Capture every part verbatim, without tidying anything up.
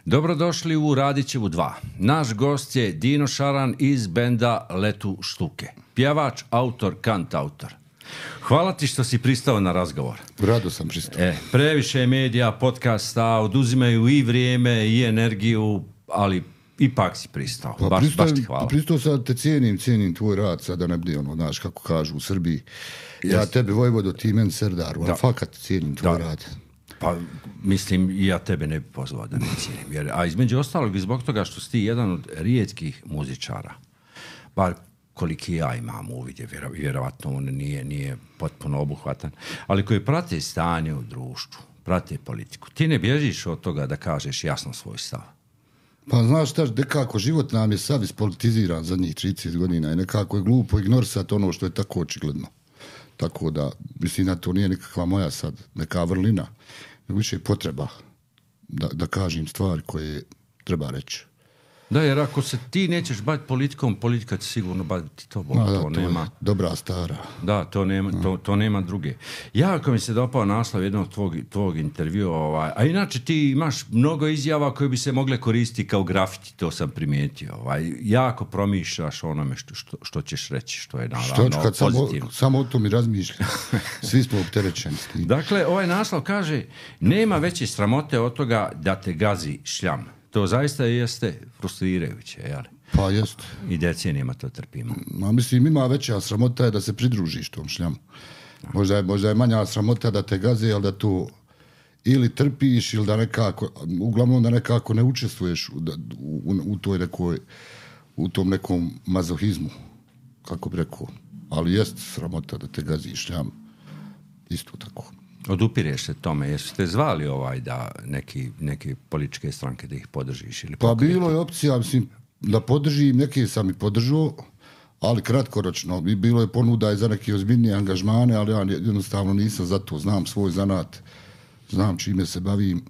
Dobrodošli u Radićevu dva. Naš gost je Dino Šaran iz benda Letu štuke. Pjevač, autor, kantautor. Hvala ti što si pristao na razgovor. Rado sam pristao. E, previše medija, podcasta, oduzimaju i vrijeme i energiju, ali ipak si pristao. Pa baš, pristao, baš ti hvala. Pristao sad te cijenim, cijenim tvoj rad, sad da ne bude ono, znaš kako kažu u Srbiji. Ja yes. tebe Vojvodo, ti men Serdaru, ali fakat cijenim tvoj da. rad. Pa, mislim, i ja tebe ne bi pozvao da ne cijenim. Jer, a između ostalog, zbog toga što si ti jedan od rijetkih muzičara, bar koliki ja imam uvidje, vjerovatno on nije, nije potpuno obuhvatan, ali koji prate stanje u društvu, prate politiku. Ti ne bježiš od toga da kažeš jasno svoj stav. Pa znaš šta, nekako život nam je sav ispolitiziran zadnjih trideset godina i nekako je glupo ignorisati ono što je tako očigledno. Tako da, mislim da to nije nikakva moja sad neka vrlina, nego više potreba da, da kažem stvari koje treba reći. Da, jer ako se ti nećeš baviti politikom, politika će sigurno baviti tobom. No, da, to, to nema. Dobra stara. Da, to nema, no. to, to nema druge. Ja, ako mi se dopao naslov jednog tvog, tvog intervjua, ovaj, a inače ti imaš mnogo izjava koje bi se mogle koristiti kao grafiti, to sam primijetio. Ovaj, jako promišljaš onome što, što, što ćeš reći, što je naravno što, kad pozitivno. Samo, samo o tom i razmišljam. Svi smo opterećeni s tim. Dakle, ovaj naslov kaže, nema veće sramote od toga da te gazi šljam. To zaista jeste frustrirajuće, jel? Pa jest. I decenijama to trpimo. Ma mislim, ima veća sramota je da se pridružiš tom šljamu. Možda je, možda je manja sramota da te gaze, ali da to ili trpiš, ili da nekako, uglavnom da nekako ne učestvuješ u, u, u, toj nekoj, u tom nekom mazohizmu, kako bi rekao. Ali jest sramota da te gazi šljam. Isto tako. Odupireš se tome, jesu te zvali ovaj da neki, neke političke stranke da ih podržiš? Ili pa bilo je opcija, mislim, da podržim, neke sam i podržao, ali kratkoročno. Bilo je ponuda i za neke ozbiljnije angažmane, ali ja jednostavno nisam za to. Znam svoj zanat, znam čime se bavim.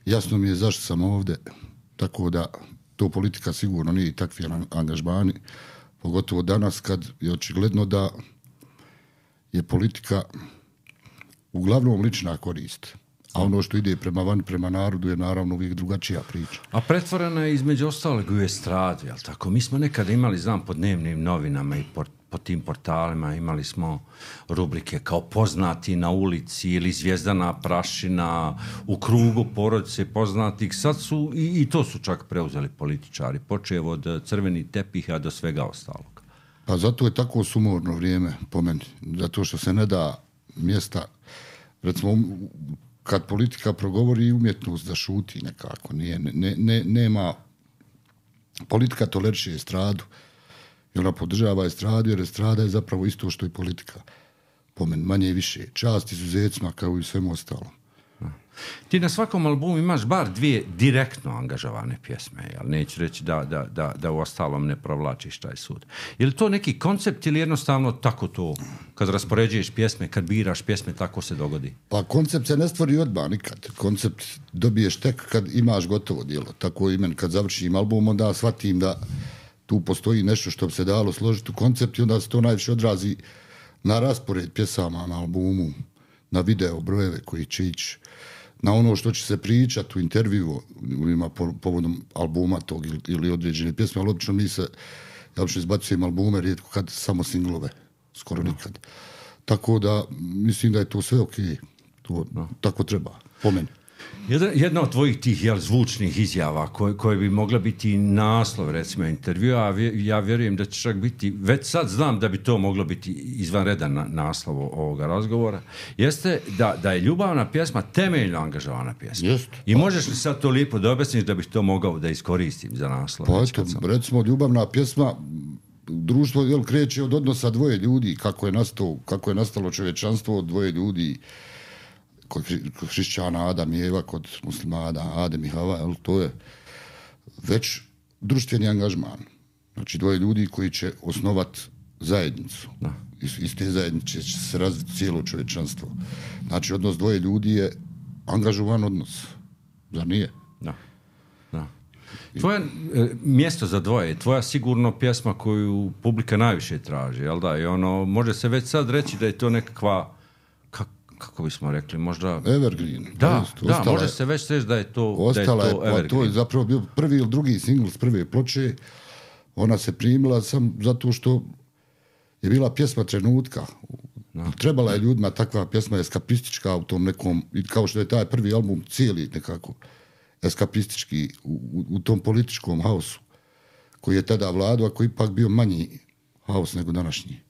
Jasno mi je zašto sam ovdje, tako da to politika sigurno nije takvi angažmani. Pogotovo danas kad je očigledno da je politika uglavnom lična korist. A ono što ide prema van, prema narodu je naravno uvijek drugačija priča. A pretvorena je između ostalog u estradu, jel tako? Mi smo nekada imali, znam, po dnevnim novinama i po, po tim portalima imali smo rubrike kao poznati na ulici ili zvijezdana prašina u krugu porodice poznatih. Sad su, i, i to su čak preuzeli političari, počev od crvenih tepiha do svega ostalog. Pa zato je tako sumorno vrijeme po meni. Zato što se ne da mjesta, recimo, kad politika progovori umjetnost da šuti nekako, nije, ne, ne, nema, politika toleriše estradu i ona podržava estradu, jer estrada je zapravo isto što i politika, po meni, manje i više, čast izuzecima kao i svemu ostalom. Ti na svakom albumu imaš bar dvije direktno angažovane pjesme, jel? Neću reći da, da, da, da u ostalom ne provlačiš taj sud. Je li to neki koncept ili jednostavno tako to, kad raspoređuješ pjesme, kad biraš pjesme, tako se dogodi? Pa koncept se ne stvori odmah nikad. Koncept dobiješ tek kad imaš gotovo djelo. Tako i meni, kad završim album, onda shvatim da tu postoji nešto što bi se dalo složiti u koncept i onda se to najviše odrazi na raspored pjesama na albumu, na video brojeve koji će ići, na ono što će se pričati u intervju ima povodom albuma tog ili, ili određene pjesme, ali obično mi se, ja obično izbacujem albume, rijetko kad samo singlove, skoro nikad. Tako da, mislim da je to sve okej, to no. tako treba, po meni. Jedna, jedna od tvojih tih jel, zvučnih izjava koje, koje bi mogla biti naslov, recimo, intervjua, a ja vjerujem da će čak biti, već sad znam da bi to moglo biti izvanredan na, naslov ovoga razgovora, jeste da, da je ljubavna pjesma temeljno angažovana pjesma. Jest. I možeš li sad to lijepo da objasniš da bih to mogao da iskoristim za naslov? Pa eto, sam... recimo, ljubavna pjesma, društvo jel, kreće od odnosa dvoje ljudi, kako je nastalo, kako je nastalo čovječanstvo od dvoje ljudi, kod hrišćana Adam i Eva, kod muslimana Adem i Hava, jel, to je već društveni angažman. Znači dvoje ljudi koji će osnovati zajednicu. Da. Iz, iz te zajednice će se razviti cijelo čovječanstvo. Znači odnos dvoje ljudi je angažovan odnos. Zar nije? Da. Da. Tvoje e, mjesto za dvoje, tvoja sigurno pjesma koju publika najviše traži, jel da? I ono, može se već sad reći da je to nekakva kako bismo rekli, možda... Evergreen. Da, jest, da, može se već reći da je to, ostala da je to je, Evergreen. To je zapravo bio prvi ili drugi singl s prve ploče. Ona se primila sam zato što je bila pjesma trenutka. No. Trebala je ljudima takva pjesma eskapistička u tom nekom, kao što je taj prvi album cijeli nekako eskapistički u, u, u tom političkom haosu koji je tada vladao, a koji ipak bio manji haos nego današnji.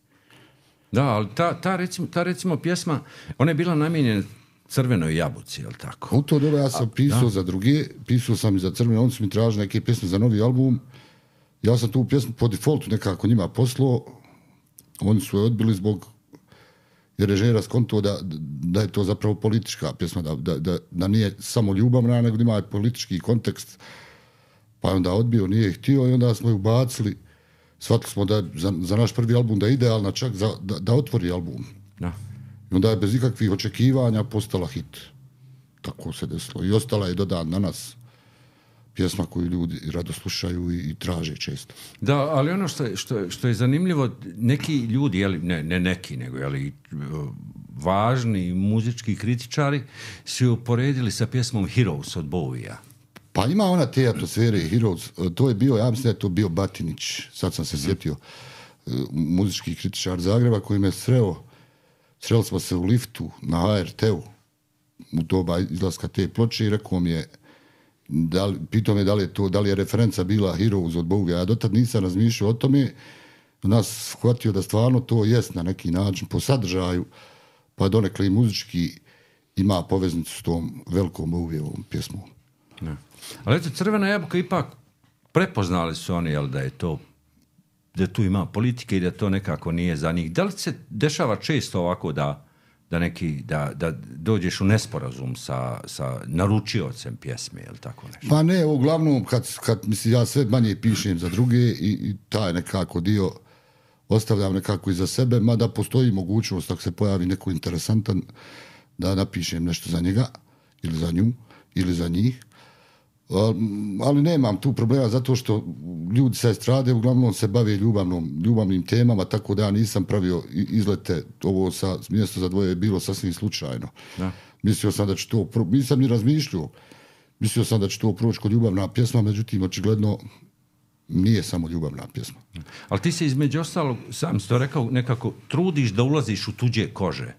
Da, ali ta, ta, recimo, ta recimo pjesma, ona je bila namijenjena Crvenoj jabuci, je li tako? U to doba ja sam a, pisao da. za druge, pisao sam i za Crvene, oni su mi tražili neke pjesme za novi album. Ja sam tu pjesmu po defaultu nekako njima poslao, oni su je odbili zbog jer je Žera skonto da, da je to zapravo politička pjesma, da, da, da, da nije samo ljubavna, nego da ima politički kontekst. Pa je onda odbio, nije htio i onda smo ju bacili. Shvatili smo da je za, za naš prvi album da je idealna čak za, da, da otvori album. Da. I onda je bez ikakvih očekivanja postala hit. Tako se desilo. I ostala je do dan danas pjesma koju ljudi rado slušaju i, i traže često. Da, ali ono što je, što je, što je zanimljivo, neki ljudi, jeli, ne, ne neki, nego jeli, važni muzički kritičari su ju uporedili sa pjesmom Heroes od Bowie-a. Pa ima ona te atmosfere Heroes, to je bio, ja mislim da je to bio Batinić, sad sam se mm-hmm. sjetio, muzički kritičar Zagreba koji me sreo, sreli smo se u liftu na H R T-u u doba izlaska te ploče i rekao mi je, da li, pitao me da li je to, da li je referenca bila Heroes od Bowie. Ja dotad nisam razmišljao o tome, nas shvatio da stvarno to jest na neki način po sadržaju, pa donekle i muzički ima poveznicu s tom velikom Bowieovom pjesmom. Ne. Ali eto, Crvena jabuka ipak prepoznali su oni, jel, da je to, da tu ima politike i da to nekako nije za njih. Da li se dešava često ovako da da neki, da, da dođeš u nesporazum sa, sa naručiocem pjesme, ili tako nešto? Pa ne, uglavnom, kad, kad mislim, ja sve manje pišem za druge i, i taj nekako dio ostavljam nekako iza sebe, mada postoji mogućnost, ako se pojavi neko interesantan, da napišem nešto za njega, ili za nju, ili za njih. Ali nemam tu problema zato što ljudi sa estrade uglavnom se bave ljubavnom, ljubavnim temama, tako da ja nisam pravio izlete, ovo sa mjesto za dvoje je bilo sasvim slučajno. Da. Mislio sam da će to, nisam ni razmišljao, mislio sam da će to proći kod ljubavna pjesma, međutim, očigledno nije samo ljubavna pjesma. Ali ti se između ostalog, sam si to rekao, nekako trudiš da ulaziš u tuđe kože.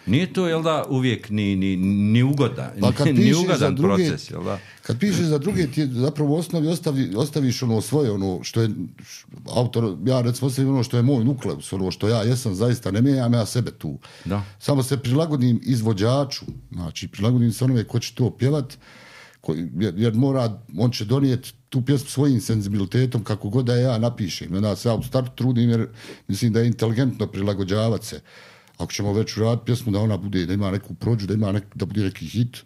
Nije to, jel da, uvijek ni, ni, ni, ugoda, pa ni ugodan druge, proces, jel da? Kad pišeš za druge, ti zapravo u osnovi ostavi, ostaviš ono svoje, ono što je autor, ja recimo ostavim ono što je moj nukleus, ono što ja jesam, zaista ne mijenjam ja sebe tu. Da. Samo se prilagodim izvođaču, znači prilagodim se onome ko će to pjevat, ko, jer, jer mora, on će donijeti tu pjesmu svojim senzibilitetom kako god da ja napišem. Onda se ja u startu trudim jer mislim da je inteligentno prilagođavati se. Ako ćemo već uraditi pjesmu da ona bude, da ima neku prođu, da ima nek, da bude neki hit,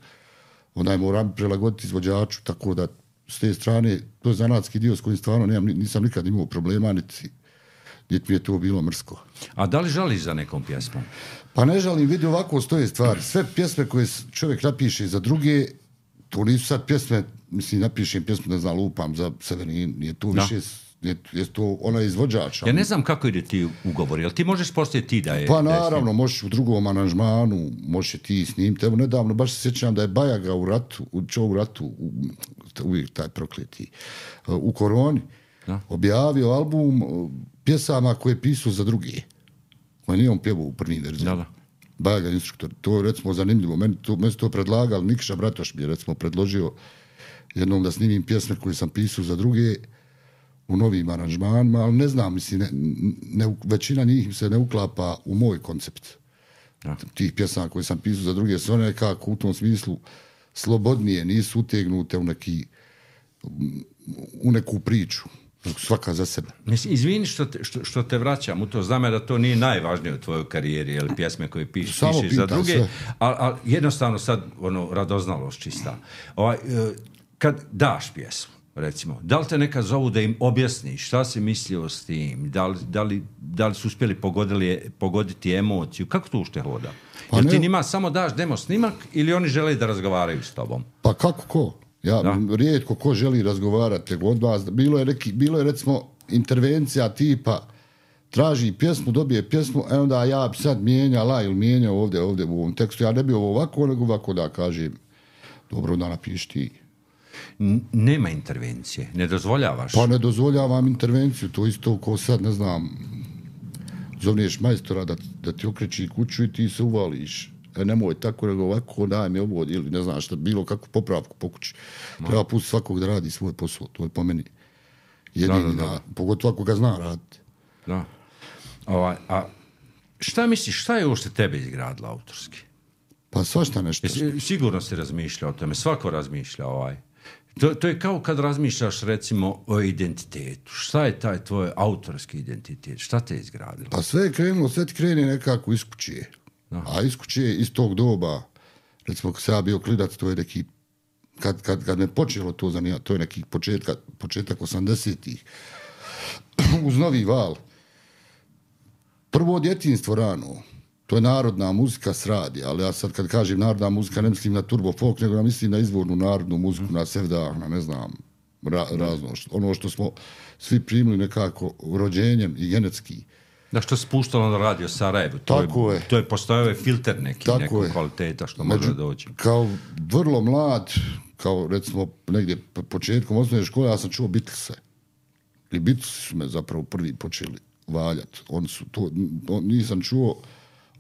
onda je moram prilagoditi izvođaču, tako da s te strane, to je zanatski dio s kojim stvarno nemam, nisam nikad imao problema, niti, niti mi je to bilo mrsko. A da li žališ za nekom pjesmom? Pa ne žalim, vidi ovako stoje stvari. Sve pjesme koje čovjek napiše za druge, to nisu sad pjesme, mislim, napišem pjesmu, ne znam, lupam za Severin, nije to više... Da. Je, je to ona izvođača. Ja ne znam kako ide ti ugovor, jel ti možeš postaviti ti da je... Pa naravno, možeš u drugom aranžmanu, možeš ti snimiti. Evo nedavno, baš se sjećam da je Bajaga u ratu, u čo u ratu, u, uvijek taj prokleti, u Koroni, da. Objavio album pjesama koje je pisao za druge. Koje nije on pjevao u prvim verzijama. Bajaga instruktor. To je recimo zanimljivo. Meni to, meni to predlagali, Nikša Bratoš mi je recimo predložio jednom da snimim pjesme koje sam pisao za druge u novim aranžmanima, ali ne znam, mislim, ne, ne, većina njih se ne uklapa u moj koncept. Ja. Tih pjesama koje sam pisao za druge, su one nekako u tom smislu slobodnije, nisu utegnute u, neki, u neku priču, svaka za sebe. Mislim, izvini što te, što, što te vraćam u to, znam da to nije najvažnije u tvojoj karijeri, ili pjesme koje piš, pišeš za druge, ali al jednostavno sad, ono, radoznalost čista. Ovaj, kad daš pjesmu, recimo, da li te neka zovu da im objasniš šta si mislio s tim, da li, da li, da li su uspjeli pogodili, pogoditi emociju, kako to ušte hoda? Pa jer ne, ti njima samo daš demo snimak ili oni žele da razgovaraju s tobom? Pa kako ko? Ja, da. Rijetko ko želi razgovarati od vas. Bilo je, neki, bilo je recimo intervencija tipa traži pjesmu, dobije pjesmu, e onda ja bi sad mijenjala ili mijenjao ovdje, ovdje u ovom tekstu. Ja ne bi ovo ovako, nego ovako da kažem, dobro da napiši ti. Nema intervencije, ne dozvoljavaš? Pa ne dozvoljavam intervenciju, to isto ko sad, ne znam, zovneš majstora da, da ti okreći kuću i ti se uvališ. E, nemoj tako, nego ovako, daj mi ovo, ili ne znam šta, bilo kakvu popravku po kući. No. Treba pustiti svakog da radi svoj posao, to je po meni jedini, da, da, da. Pogotovo ako ga zna raditi. Da. Ovaj, a šta misliš, šta je uopšte tebe izgradilo autorski? Pa svašta nešto. Jesi, sigurno si razmišljao o tome, svako razmišlja ovaj. To, to je kao kad razmišljaš recimo o identitetu. Šta je taj tvoj autorski identitet? Šta te je izgradilo? Pa sve je krenulo, sve ti krene nekako iz kuće. A iz kuće iz tog doba, recimo kad sam ja bio klinac, to je neki, kad, kad, kad me počelo to zanimati, to je neki početka, početak osamdesetih uz Novi val. Prvo djetinjstvo rano, to je narodna muzika s radija, ali ja sad kad kažem narodna muzika ne mislim na turbo folk, nego ja mislim na izvornu narodnu muziku, na sevdah, na ne znam, ra, razno, ono što smo svi primili nekako rođenjem i genetski. Da, što se puštalo na radio Sarajevo, to tako je, je, to je postojao filter neki, nekog kvaliteta što može Među, doći. Kao vrlo mlad, kao recimo negdje početkom osnovne škole, ja sam čuo Beatlese. I Beatlesi su me zapravo prvi počeli valjati. Oni su to, on, nisam čuo,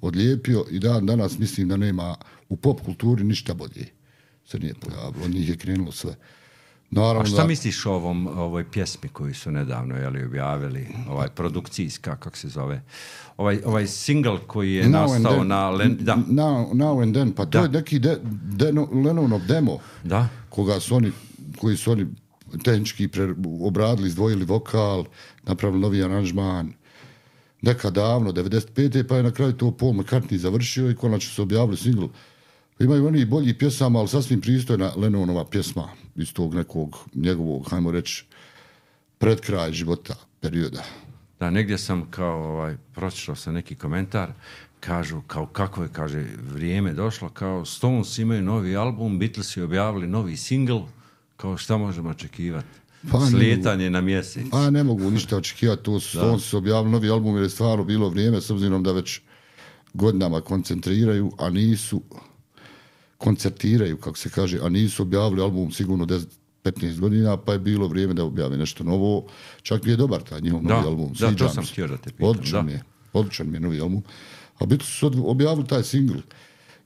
odlijepio i dan danas mislim da nema u pop kulturi ništa bolje. Se nije pojavilo, od njih je krenulo sve. Naravno, a šta misliš o ovom, ovoj pjesmi koju su nedavno jeli, objavili, ovaj produkcijska, kako se zove, ovaj, ovaj single koji je now nastao na... Len, da. Now, now and then, pa to da. je neki de, de, Lennonov demo, da. koga su oni, koji su oni tehnički pre, obradili, izdvojili vokal, napravili novi aranžman, nekad davno, devedeset pete pa je na kraju to Paul McCartney završio i konačno su objavili single. Imaju oni bolji pjesama, ali sasvim pristojna Lennonova pjesma iz tog nekog njegovog, hajmo reći, pred kraj života, perioda. Da, negdje sam kao, ovaj, pročitao sam neki komentar, kažu, kao kako je, kaže, vrijeme došlo, kao Stones imaju novi album, Beatlesi objavili novi single, kao šta možemo očekivati? Pa slijetanje na mjesec. A ne mogu ništa očekivati, to su Stones su objavili novi album jer je stvarno bilo vrijeme, s obzirom da već godinama koncentriraju, a nisu koncertiraju, kako se kaže, a nisu objavili album sigurno deset petnaest godina, pa je bilo vrijeme da objave nešto novo. Čak mi je dobar taj njihov novi da, album. Da, to sam htio da te pitam. Odličan mi je, odličan mi je novi album. A biti su objavili taj single,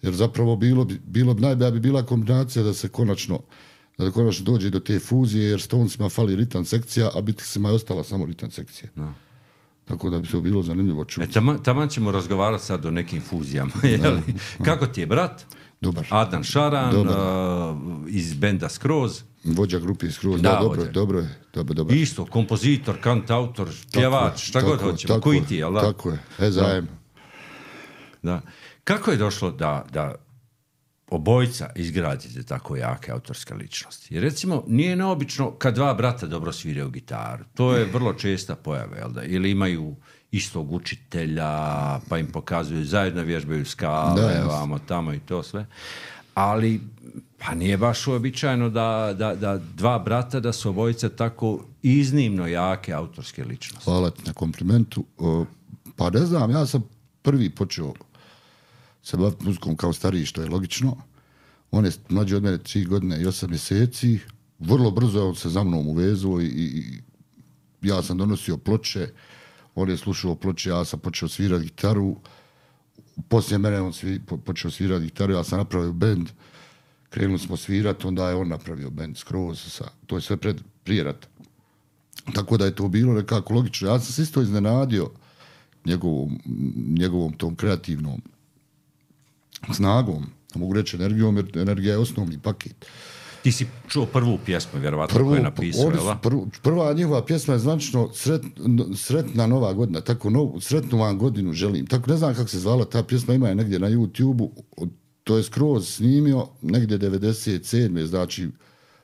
jer zapravo bilo bi, bilo bi najbolja bi bila kombinacija da se konačno da konačno dođe do te fuzije, jer Stonesima fali ritam sekcija, a Beatlesima je ostala samo ritam sekcija. Da. Tako da bi se bilo zanimljivo čuti. E, taman, taman ćemo razgovarati sad o nekim fuzijama. Kako ti je brat? Dobar. Adnan Šaran, uh, iz benda Skroz. Vođa grupe Skroz, da, da dobro, vođa. dobro je. Dobro, dobro. Isto, kompozitor, kantautor, pjevač, šta god hoćemo. Koji ti, jel da? Tako je, e zajem. Da. Kako je došlo da, da obojca izgradite tako jake autorske ličnosti? Jer recimo, nije neobično kad dva brata dobro sviraju gitaru. To je vrlo česta pojava, jel da? Ili imaju istog učitelja, pa im pokazuju, zajedno vježbaju skale, da, vamo, tamo i to sve. Ali, pa nije baš uobičajeno da, da, da dva brata, da su obojice tako iznimno jake autorske ličnosti. Hvala ti na komplimentu. Pa ne znam, ja sam prvi počeo se baviti muzikom kao stariji, što je logično. On je mlađi od mene tri godine i osam mjeseci. Vrlo brzo je on se za mnom uvezao i, i ja sam donosio ploče. On je slušao ploče, ja sam počeo svirati gitaru. Poslije mene on svi, po, počeo svirati gitaru, ja sam napravio bend. Krenuli smo svirati, onda je on napravio bend Skroz. Sa, to je sve pred, prije rata. Tako da je to bilo nekako logično. Ja sam se isto iznenadio njegovom, njegovom tom kreativnom snagom, mogu reći energijom, jer energija je osnovni paket. Ti si čuo prvu pjesmu, vjerovatno, koju je napisao, jel? Pr, prva njihova pjesma je zvančno sret, Sretna nova godina, tako nov, sretnu vam godinu želim. Tako ne znam kako se zvala ta pjesma, ima je negdje na YouTube-u, to je Skroz snimio negdje devedeset sedme znači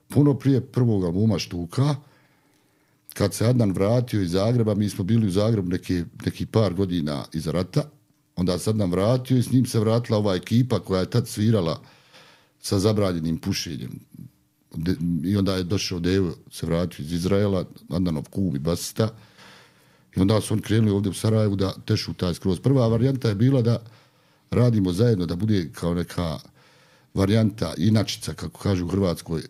puno prije prvog albuma Štuka. Kad se Adnan vratio iz Zagreba, mi smo bili u Zagrebu neki, neki par godina iza rata, onda se Adnan vratio i s njim se vratila ova ekipa koja je tad svirala sa zabranjenim pušenjem. I onda je došao Devo, se vratio iz Izraela, Adnanov kum i basista. I onda su oni krenuli ovdje u Sarajevu da tešu taj skroz. Prva varijanta je bila da radimo zajedno, da bude kao neka varijanta, inačica, kako kažu u Hrvatskoj,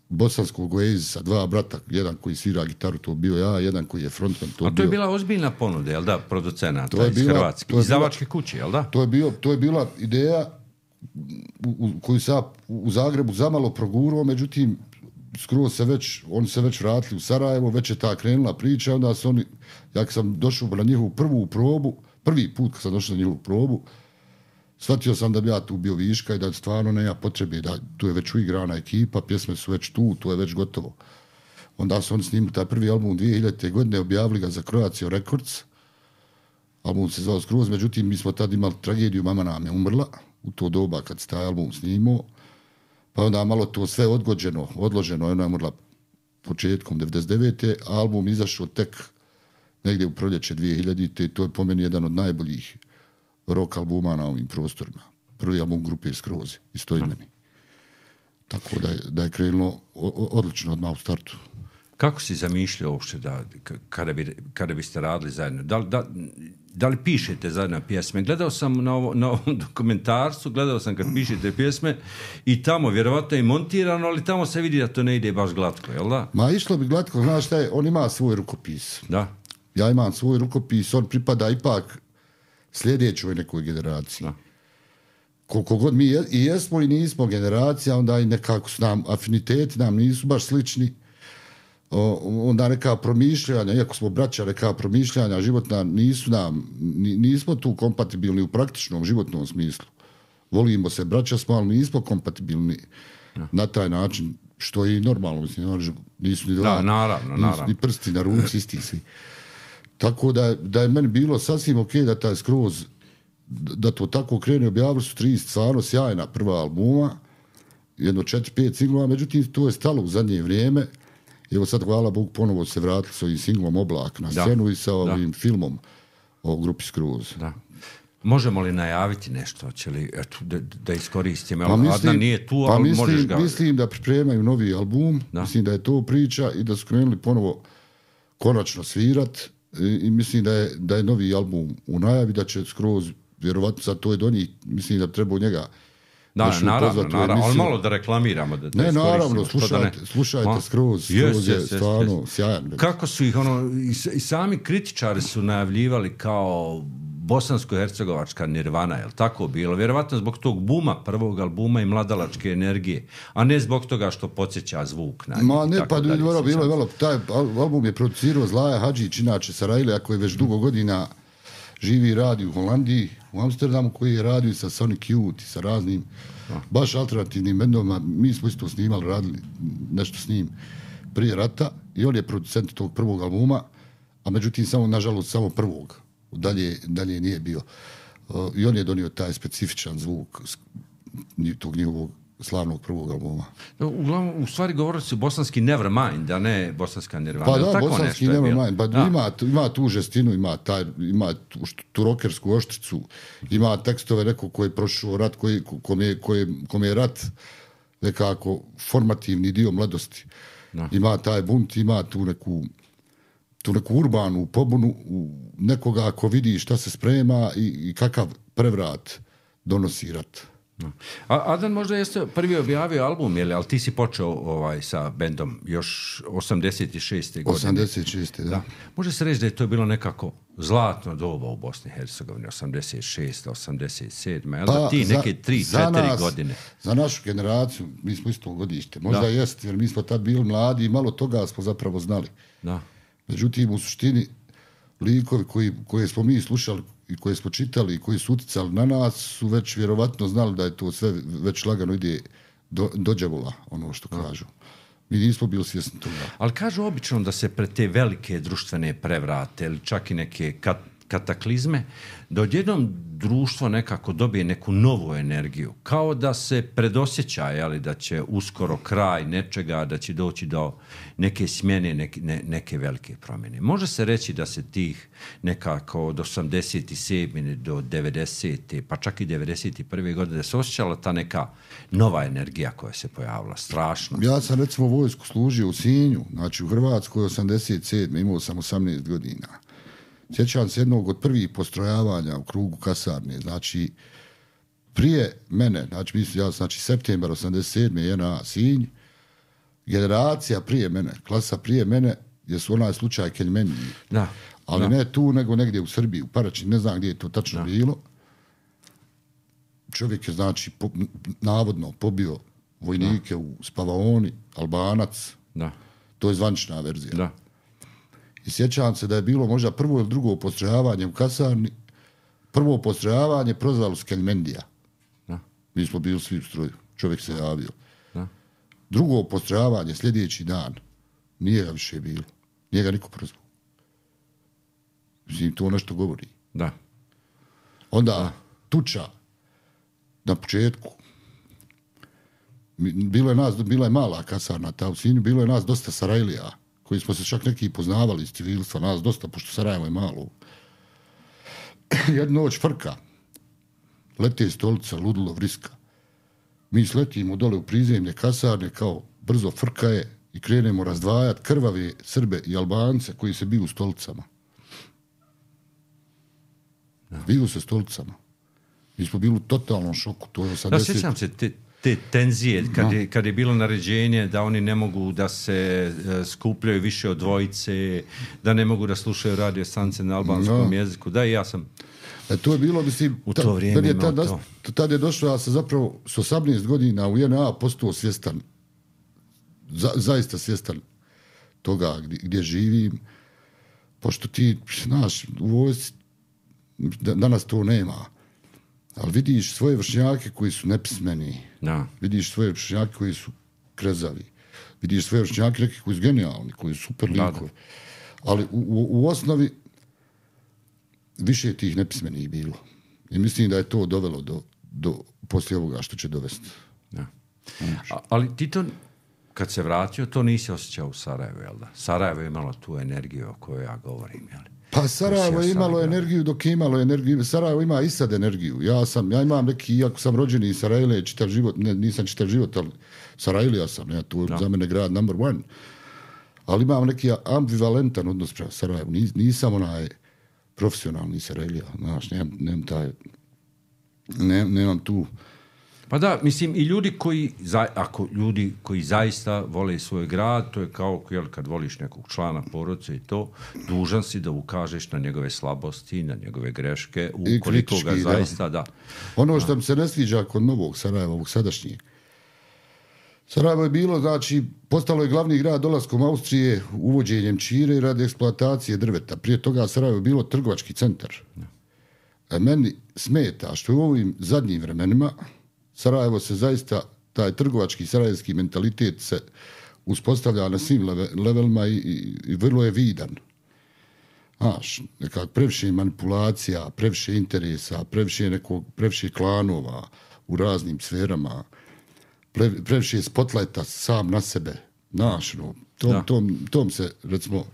bosanskog Oasisa, dva brata, jedan koji svira gitaru, to bio ja, jedan koji je frontman. To A to bio... je bila ozbiljna ponuda, jel da, producenata to je iz bila, Hrvatske, iz Zavačke kuće, jel da? To je, bio, to je bila ideja u, u, koju se ja u Zagrebu zamalo progurao, međutim, skroz se već, oni se već vratili u Sarajevo, već je ta krenula priča, onda su oni, ja kad sam došao na njihovu prvu probu, prvi put kad sam došao na njihovu probu, shvatio sam da bi ja tu bio viška i da stvarno nema potrebe, da tu je već uigrana ekipa, pjesme su već tu, to je već gotovo. Onda su oni snimili taj prvi album dvije hiljadite. godine, objavili ga za Croatia Records, album se zvao Skroz, međutim mi smo tad imali tragediju, mama nam je umrla u to doba kad se taj album snimao, pa onda malo to sve odgođeno, odloženo, ona je umrla početkom devedeset devete. a album izašao tek negdje u proljeće dvije hiljadite. i to je po meni jedan od najboljih rock albuma na ovim prostorima. Prvi album grupe Skroz, istoimeni. Tako da je, da je krenulo odlično odmah u startu. Kako si zamišljao uopšte da, kada, bi, kada biste radili zajedno? Da, da, da li pišete zajedno pjesme? Gledao sam na, ovo, na ovom dokumentarcu, gledao sam kad pišete pjesme i tamo vjerovatno je montirano, ali tamo se vidi da to ne ide baš glatko, jel da? Ma išlo bi glatko, znaš šta je, on ima svoj rukopis. Da. Ja imam svoj rukopis, on pripada ipak sljedećoj nekoj generaciji. Da. Koliko god mi je, i jesmo i nismo generacija, onda i nekako su nam afiniteti nam nisu baš slični. O, onda neka promišljanja, iako smo braća, neka promišljanja životna nisu nam, nismo tu kompatibilni u praktičnom životnom smislu. Volimo se, braća smo, ali nismo kompatibilni ja. na taj način, što je i normalno, mislim, nisu ni dva, da, naravno, nisu naravno. ni prsti na ruci, isti svi. Tako da, da je meni bilo sasvim ok da taj Skroz, da to tako krene, objavili su tri stvarno sjajna prva albuma, jedno četiri, pet singlova, međutim to je stalo u zadnje vrijeme. Evo sad, hvala Bogu, ponovo se vratili s ovim singlom Oblak na scenu da. i sa ovim da. filmom o grupi Skroz. Da. Možemo li najaviti nešto? Hoće li, eto, da, da iskoristimo? Pa mislim, Adnan nije tu, pa ali mislim, možeš ga... Mislim da pripremaju novi album, da. mislim da je to priča i da su krenuli ponovo konačno svirat i, i mislim da je, da je novi album u najavi, da će Skroz, vjerovatno sad to je do njih, mislim da treba u njega. Da, naravno, naravno, ali malo da reklamiramo. Da, da ne, naravno, slušajte, ne... slušajte Skroz, Skroz je stvarno yes, sjajan. Kako su ih, ono, i, i sami kritičari su najavljivali kao bosansko-hercegovačka Nirvana, je li tako bilo? Vjerovatno zbog tog buma, prvog albuma i mladalačke energije, a ne zbog toga što podsjeća zvuk na njih. Ma ne, pa dalje, bilo, bilo, bilo, taj album je producirao Zlaja Hadžić, inače Sarajlija, koji već dugo godina živi i radi u Holandiji, u Amsterdamu, koji je radio sa Sonic Youth i sa raznim a. baš alternativnim bendovima. Mi smo isto snimali, radili nešto s njim prije rata i on je producent tog prvog albuma, a međutim samo, nažalost, samo prvog. Dalje, dalje nije bio. Uh, I on je donio taj specifičan zvuk tog njihovog slavnog prvog albuma. Uglavnom, u stvari govorili su bosanski Nevermind, a ne bosanska Nirvana. Pa da, tako bosanski Nevermind. Pa ima, ima tu žestinu, ima, taj, ima tu, tu rokersku oštricu, ima tekstove neko koji je prošao rat, koji, kom, je, koji, kom je rat nekako formativni dio mladosti. Da. Ima taj bunt, ima tu neku tu neku urbanu pobunu nekoga ko vidi šta se sprema i, i kakav prevrat donosi rat. A Adnan možda jeste prvi objavio album, jel, ali ti si počeo ovaj, sa bendom još osamdeset šeste godine. osamdeset šeste, da. da. Može se reći da je to bilo nekako zlatno doba u Bosni i Hercegovini, osamdeset šeste, osamdeset sedme, jel, pa, da ti neke tri, četiri godine? Za našu generaciju, mi smo isto godište, možda da. jest, jer mi smo tad bili mladi i malo toga smo zapravo znali. Da. Međutim, u suštini, likovi koji, koje smo mi slušali i koje smo čitali i koji su uticali na nas su već vjerovatno znali da je to sve već lagano ide do, do đavola, ono što kažu. Mi nismo bili svjesni toga. Ali kažu obično da se pred te velike društvene prevrate ili čak i neke kat, kataklizme, da odjednom društvo nekako dobije neku novu energiju. Kao da se predosjeća, jeli, da će uskoro kraj nečega, da će doći do neke smjene, neke, ne, neke velike promjene. Može se reći da se tih nekako od osamdeset sedme do devedesete pa čak i devedeset prve godine, da se osjećala ta neka nova energija koja se pojavila. Strašno. Ja sam recimo vojsku služio u Sinju, znači u Hrvatskoj osamdeset sedme imao sam osamnaest godina. Sjećam se jednog od prvih postrojavanja u krugu kasarne, znači prije mene, znači mislim ja, znači septembar osamdeset sedme J N A Sinj, generacija prije mene, klasa prije mene, gdje su onaj slučaj Keljmeniji. Da. Ali da. ne tu, nego negdje u Srbiji, u Paraćinu, ne znam gdje je to tačno da. bilo. Čovjek je, znači, po, navodno pobio vojnike da. u Spavaoni, Albanac. Da. To je zvanična verzija. Da. I sjećam se da je bilo možda prvo ili drugo postrojavanje u kasarni. Prvo postrojavanje prozvalo s Keljmendija. Da. Mi smo bili svi u stroju. Čovjek se javio. Da. Drugo postrojavanje sljedeći dan. Nije ga više bilo. Nije ga niko prozvao. Mislim, to nešto govori. Da. Onda da. tuča na početku. Bilo je nas, bila je mala kasarna ta u Sinju, bilo je nas dosta Sarajlija, koji smo se čak neki poznavali iz civilstva, nas dosta, pošto Sarajevo je malo. Jednu noć frka. Lete stolica, ludilo, vriska. Mi sletimo dole u prizemlje kasarne, kao brzo frka je i krenemo razdvajati krvave Srbe i Albance koji se biju u stolicama. Biju se stolicama. Mi smo bili u totalnom šoku. To je osamdeset... Da, sjećam se te, te tenzije, kad je, kad je bilo naređenje da oni ne mogu da se uh, skupljaju više od dvojice, da ne mogu da slušaju radio stanice na albanskom no. jeziku. Da, i ja sam... E, to je bilo, mislim, u to vrijeme je tad, to. Tad je došlo, ja sam zapravo s osamnaest godina u J N A postao svjestan, za, zaista svjestan toga gdje, gdje živim, pošto ti, znaš, u vojsci danas to nema, ali vidiš svoje vršnjake koji su nepismeni, no. vidiš svoje vršnjake koji su krezavi, vidiš svoje vršnjake neki koji su genijalni, koji su super likovi, ali u, u, u osnovi više tih nepismenih bilo. I mislim da je to dovelo do, do poslije ovoga što će dovesti. Ja. A, ali ti to, kad se vratio, to nisi osjećao u Sarajevu, jel da? Sarajevo je imalo tu energiju o kojoj ja govorim, jel? Pa Sarajevo je imalo Sarajevo. energiju dok je imalo energiju. Sarajevo ima i sad energiju. Ja sam, ja imam neki, iako sam rođeni iz Sarajlije, čitav život, ne, nisam čitav život, ali Sarajlija sam, ja, tu je za mene grad number one. Ali imam neki ambivalentan odnos prema Sarajevu. Nis, nisam onaj profesionalni Sarajlija, znaš, nemam, nemam taj, nemam, nemam tu... Pa da, mislim, i ljudi koji, ako ljudi koji zaista vole svoj grad, to je kao jel, kad voliš nekog člana porodice i to, dužan si da ukažeš na njegove slabosti, na njegove greške, ukoliko ga zaista da. Ono što mi se ne sviđa kod novog Sarajeva, ovog sadašnjeg. Sarajevo je bilo, znači, postalo je glavni grad dolaskom Austrije, uvođenjem čire radi eksploatacije drveta. Prije toga Sarajevo je bilo trgovački centar. A meni smeta što u ovim zadnjim vremenima Sarajevo se zaista, taj trgovački sarajevski mentalitet se uspostavlja na svim levelima i, i, i vrlo je vidan. Znaš, nekak previše manipulacija, previše interesa, previše, nekog, previše klanova u raznim sferama, pre, previše spotlajta sam na sebe. Znaš, no, tom, tom, tom se, recimo,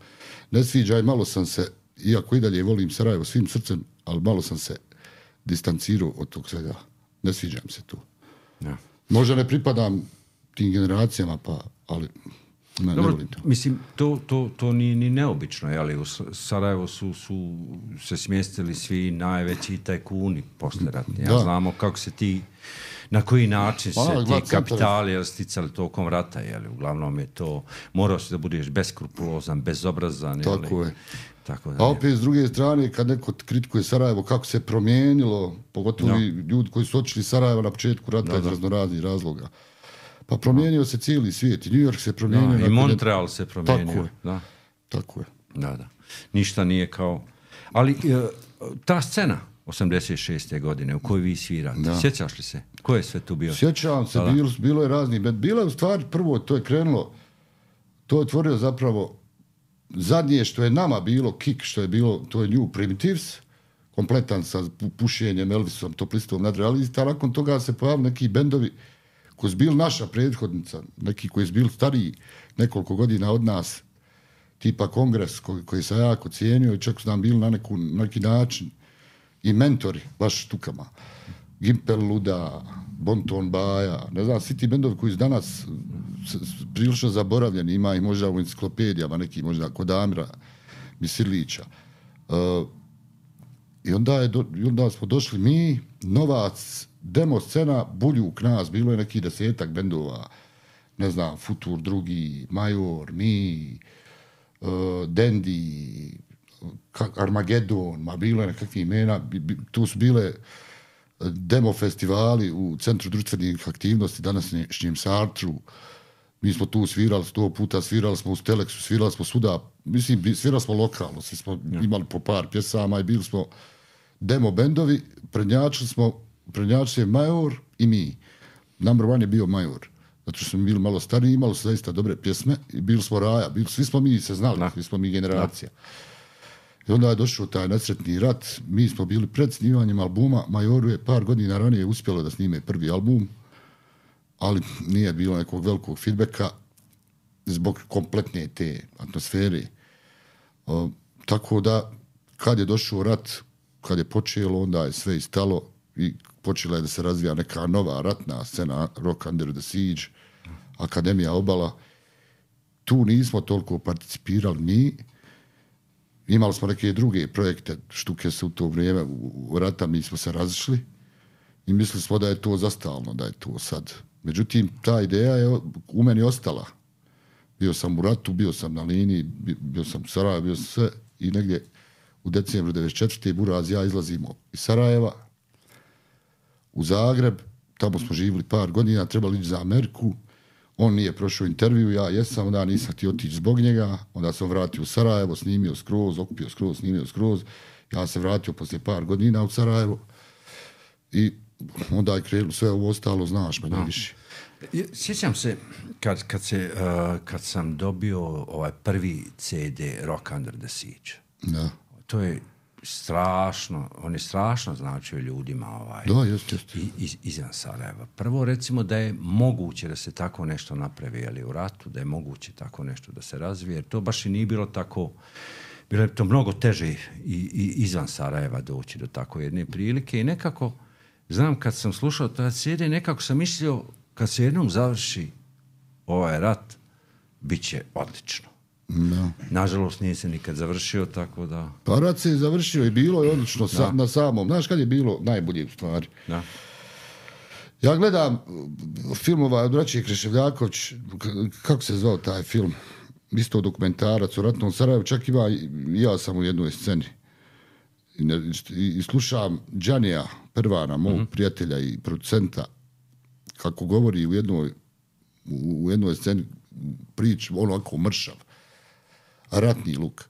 ne sviđa i malo sam se, iako i dalje volim Sarajevo svim srcem, ali malo sam se distancirao od tog svega. Ne sviđam se tu. Ja. Možda ne pripadam tim generacijama, pa, ali ne, Dobro, ne volim to. Mislim, to, to, to nije ni neobično, jeli? U Sarajevo su, su se smjestili svi najveći tajkuni posleratni. Ja znamo kako se ti, na koji način se A, ti kapitali sticali tokom rata, jeli? Uglavnom je to, morao si da budeš beskrupulozan, bezobrazan, jeli? Tako je. Tako da, a opet s druge strane, kad neko kritikuje Sarajevo, kako se promijenilo, pogotovo no. ljudi koji su očili Sarajevo na početku rata no, iz raznoraznih razloga. Pa promijenio no. se cijeli svijet. I New York se promijenio. No, I Montreal je... se promijenio. Tako je. Da. Tako je. Da, da. Ništa nije kao... Ali ta scena osamdeset šeste godine u kojoj vi svirate, da. Sjećaš li se? Ko je sve tu bio? Sjećam se, bilo, bilo je razni. Bilo je u stvari prvo, to je krenulo, to je otvorio zapravo zadnje što je nama bilo, kick što je bilo, to je New Primitives, kompletan sa pušenjem, Elvisom, Toplistom, nadrealista, a nakon toga se pojavili neki bendovi koji su bili naša prethodnica, neki koji su bili stariji nekoliko godina od nas, tipa Kongres, koji, koji sam jako cijenio i čak su nam bili na neku, neki način i mentori, baš štukama. Gimpel Luda, Bonton Baja, ne znam, svi ti bendovi koji su danas prilično zaboravljeni, ima ih možda u enciklopedijama, neki možda kod Amira Misirlića, Uh, I onda, je do, i onda smo došli mi, Novac, demo scena, Buljuk, nas, bilo je neki desetak bendova, ne znam, Futur drugi, Major, mi, uh, Dendi, Armagedon, ma bilo je nekakvih imena, bi, bi, tu su bile demo festivali u Centru društvenih aktivnosti, današnjem Sartru, mi smo tu svirali sto puta, svirali smo u Steleksu, svirali smo svuda, mislim, svirali smo lokalno, svi smo ja. imali po par pjesama i bili smo demo bendovi, prednjačili smo, prednjačili je Major i mi. Number one je bio Major, zato što smo bili malo stariji, imali su zaista dobre pjesme i bili smo raja, bili, svi smo mi se znali, da. svi smo mi generacija. Da. I onda je došao taj nesretni rat, mi smo bili pred snimanjem albuma, Majoru je par godina ranije uspjelo da snime prvi album, ali nije bilo nekog velikog feedbacka zbog kompletne te atmosfere. O, tako da, kad je došao rat, kad je počelo, onda je sve istalo i počela je da se razvija neka nova ratna scena, Rock Under the Siege, Akademija Obala. Tu nismo toliko participirali mi. Imali smo neke druge projekte, štuke se u to vrijeme, u rata mi smo se razišli i mislili smo da je to zastalno, da je to sad. Međutim, ta ideja je u meni ostala. Bio sam u ratu, bio sam na liniji, bio sam u Sarajevu, bio sam sve i negdje u decembru devedeset četvrte Buraz ja izlazimo iz Sarajeva u Zagreb, tamo smo živjeli par godina, trebali ići za Ameriku, on nije prošao intervju, ja jesam, onda nisam htio otići zbog njega, onda sam vratio u Sarajevo, snimio skroz, okupio skroz, snimio skroz, ja se vratio poslije par godina u Sarajevo i onda je krenulo sve ovo ostalo, znaš, manje više. Sjećam se kad, kad, se, uh, kad sam dobio ovaj prvi ce de Rock Under the Siege. Da. To je strašno, on je strašno značio ljudima ovaj, da, jest, jest. Iz, izvan Sarajeva. Prvo recimo da je moguće da se tako nešto napravi, ali u ratu, da je moguće tako nešto da se razvije, jer to baš i nije bilo tako, bilo je to mnogo teže i, i izvan Sarajeva doći do tako jedne prilike i nekako, znam kad sam slušao ta ce de, nekako sam mislio kad se jednom završi ovaj rat, bit će odlično. No. Nažalost nije se nikad završio, tako da... Pa rat se je završio i bilo je odlično sa, na samom. Znaš kad je bilo najbolje u stvari? Da. Ja gledam filmova od braće Kreševljaković, kako se zvao taj film? Isto dokumentarac o ratnom Sarajevu, čak ima, ja sam u jednoj sceni. I, i, i slušam Džanija Pervana, mog mm-hmm. prijatelja i producenta, kako govori u jednoj, u, u jednoj sceni prič, ono ovako mršav, ratni luk.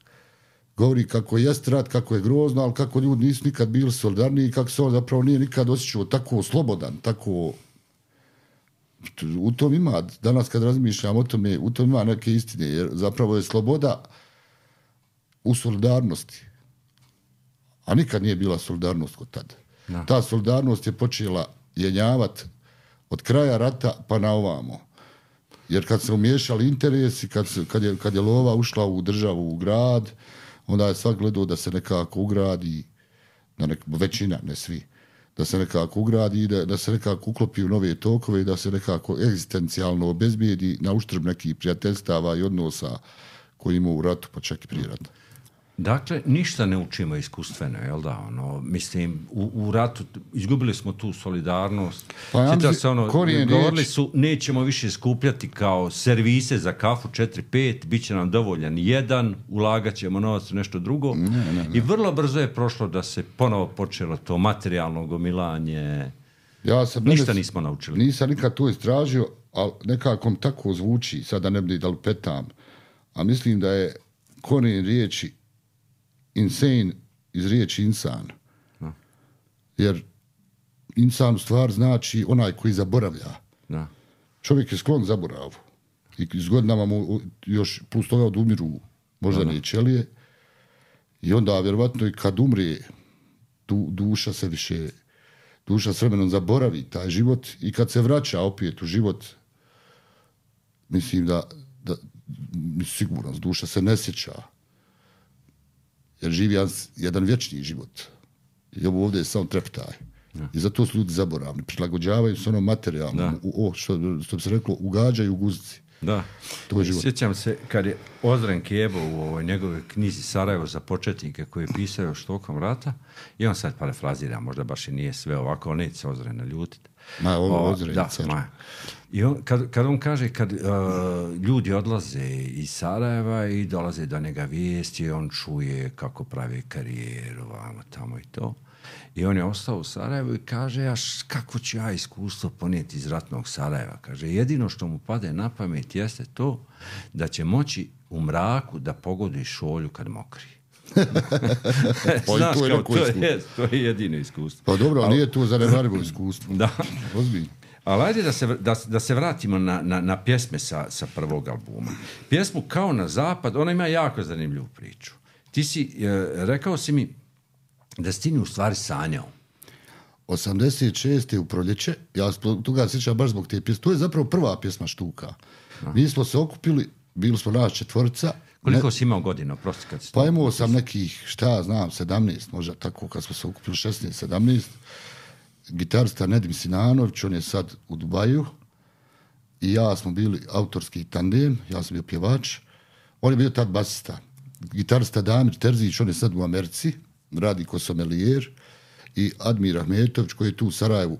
Govori kako je rat, kako je grozno, ali kako ljudi nisu nikad bili solidarni i kako se on zapravo nije nikad osjećao tako slobodan, tako... U tom ima, danas kad razmišljam o tome, u tom ima neke istine, jer zapravo je sloboda u solidarnosti. A nikad nije bila solidarnost kod tada. No. Ta solidarnost je počela jenjavati od kraja rata pa na ovamo. Jer kad se umiješali interesi, kad, se, kad, je, kad je lova ušla u državu, u grad, onda je svak gledao da se nekako ugradi, da nek, većina, ne svi, da se nekako ugradi, da, da se nekako uklopi u nove tokove i da se nekako egzistencijalno obezbijedi na uštrb nekih prijateljstava i odnosa koji ima u ratu, pa čak i prije rata. Dakle, ništa ne učimo iskustveno, jel da? Ono, mislim, u, u ratu izgubili smo tu solidarnost. Pa ja mislim, se ono, govorili su, nećemo više skupljati kao servise za kafu četiri pet, bit će nam dovoljan jedan, ulagat ćemo novac u nešto drugo. Ne, ne, ne. I vrlo brzo je prošlo da se ponovo počelo to materijalno gomilanje. Ja sam ništa ne, nismo naučili. Nisam nikad to istražio, ali nekako tako zvuči, sada ne bi da lupetam, a mislim da je korijen riječi insane iz riječi insan. No. Jer insan u stvar znači onaj koji zaboravlja. No. Čovjek je sklon zaboravu. I s godinama mu još plus toga odumiru moždane no. ćelije. I onda vjerovatno i kad umre du, duša se više duša s vremenom zaboravi taj život i kad se vraća opet u život mislim da, da sigurno duša se ne sjeća. Jer živi jedan vječni život. I ovo ovdje je samo treptaj. Ja. I zato su ljudi zaboravni. Prilagođavaju se ono materijalno. U, o, što, što bi se reklo, ugađaju u guzici. Da. To je život. Sjećam se kad je Ozren Kebo u ovoj njegovoj knjizi Sarajevo za početnike koji je pisao još tokom rata, i on sad parafrazira, možda baš i nije sve ovako, neće se Ozren naljutiti. Ma, ovo Ozren da, car. ma. I on, kad, kad on kaže, kad uh, ljudi odlaze iz Sarajeva i dolaze do njega vijesti, on čuje kako pravi karijeru, vamo, tamo i to. I on je ostao u Sarajevu i kaže, ja kako ću ja iskustvo ponijeti iz ratnog Sarajeva? Kaže, jedino što mu pade na pamet jeste to da će moći u mraku da pogodi šolju kad mokri. Znaš, to, je kao, to, iskustvo. je, to je jedino iskustvo. Pa dobro, ali Al, nije to zanemarivo iskustvo. Da. Ozbiljno. Ali ajde da se, da, da se vratimo na, na, na pjesme sa, sa prvog albuma. Pjesmu Kao na zapad, ona ima jako zanimljivu priču. Ti si, e, rekao si mi da si ti u stvari sanjao. osamdeset šeste u proljeće, ja se toga sjećam baš zbog te pjesme. To je zapravo prva pjesma Štuka. A. Mi smo se okupili, bili smo nas četvorca. Koliko ne, si imao godina, prosti kad si... Pa imao sam nekih, šta znam, sedamnaest, možda tako, kad smo se okupili šesnaest sedamnaest. Gitarista Nedim Sinanović, on je sad u Dubaju. I ja smo bili autorski tandem, ja sam bio pjevač. On je bio tad basista. Gitarista Damir Terzić, on je sad u Americi, radi ko somelijer. I Admir Ahmetović, koji je tu u Sarajevu,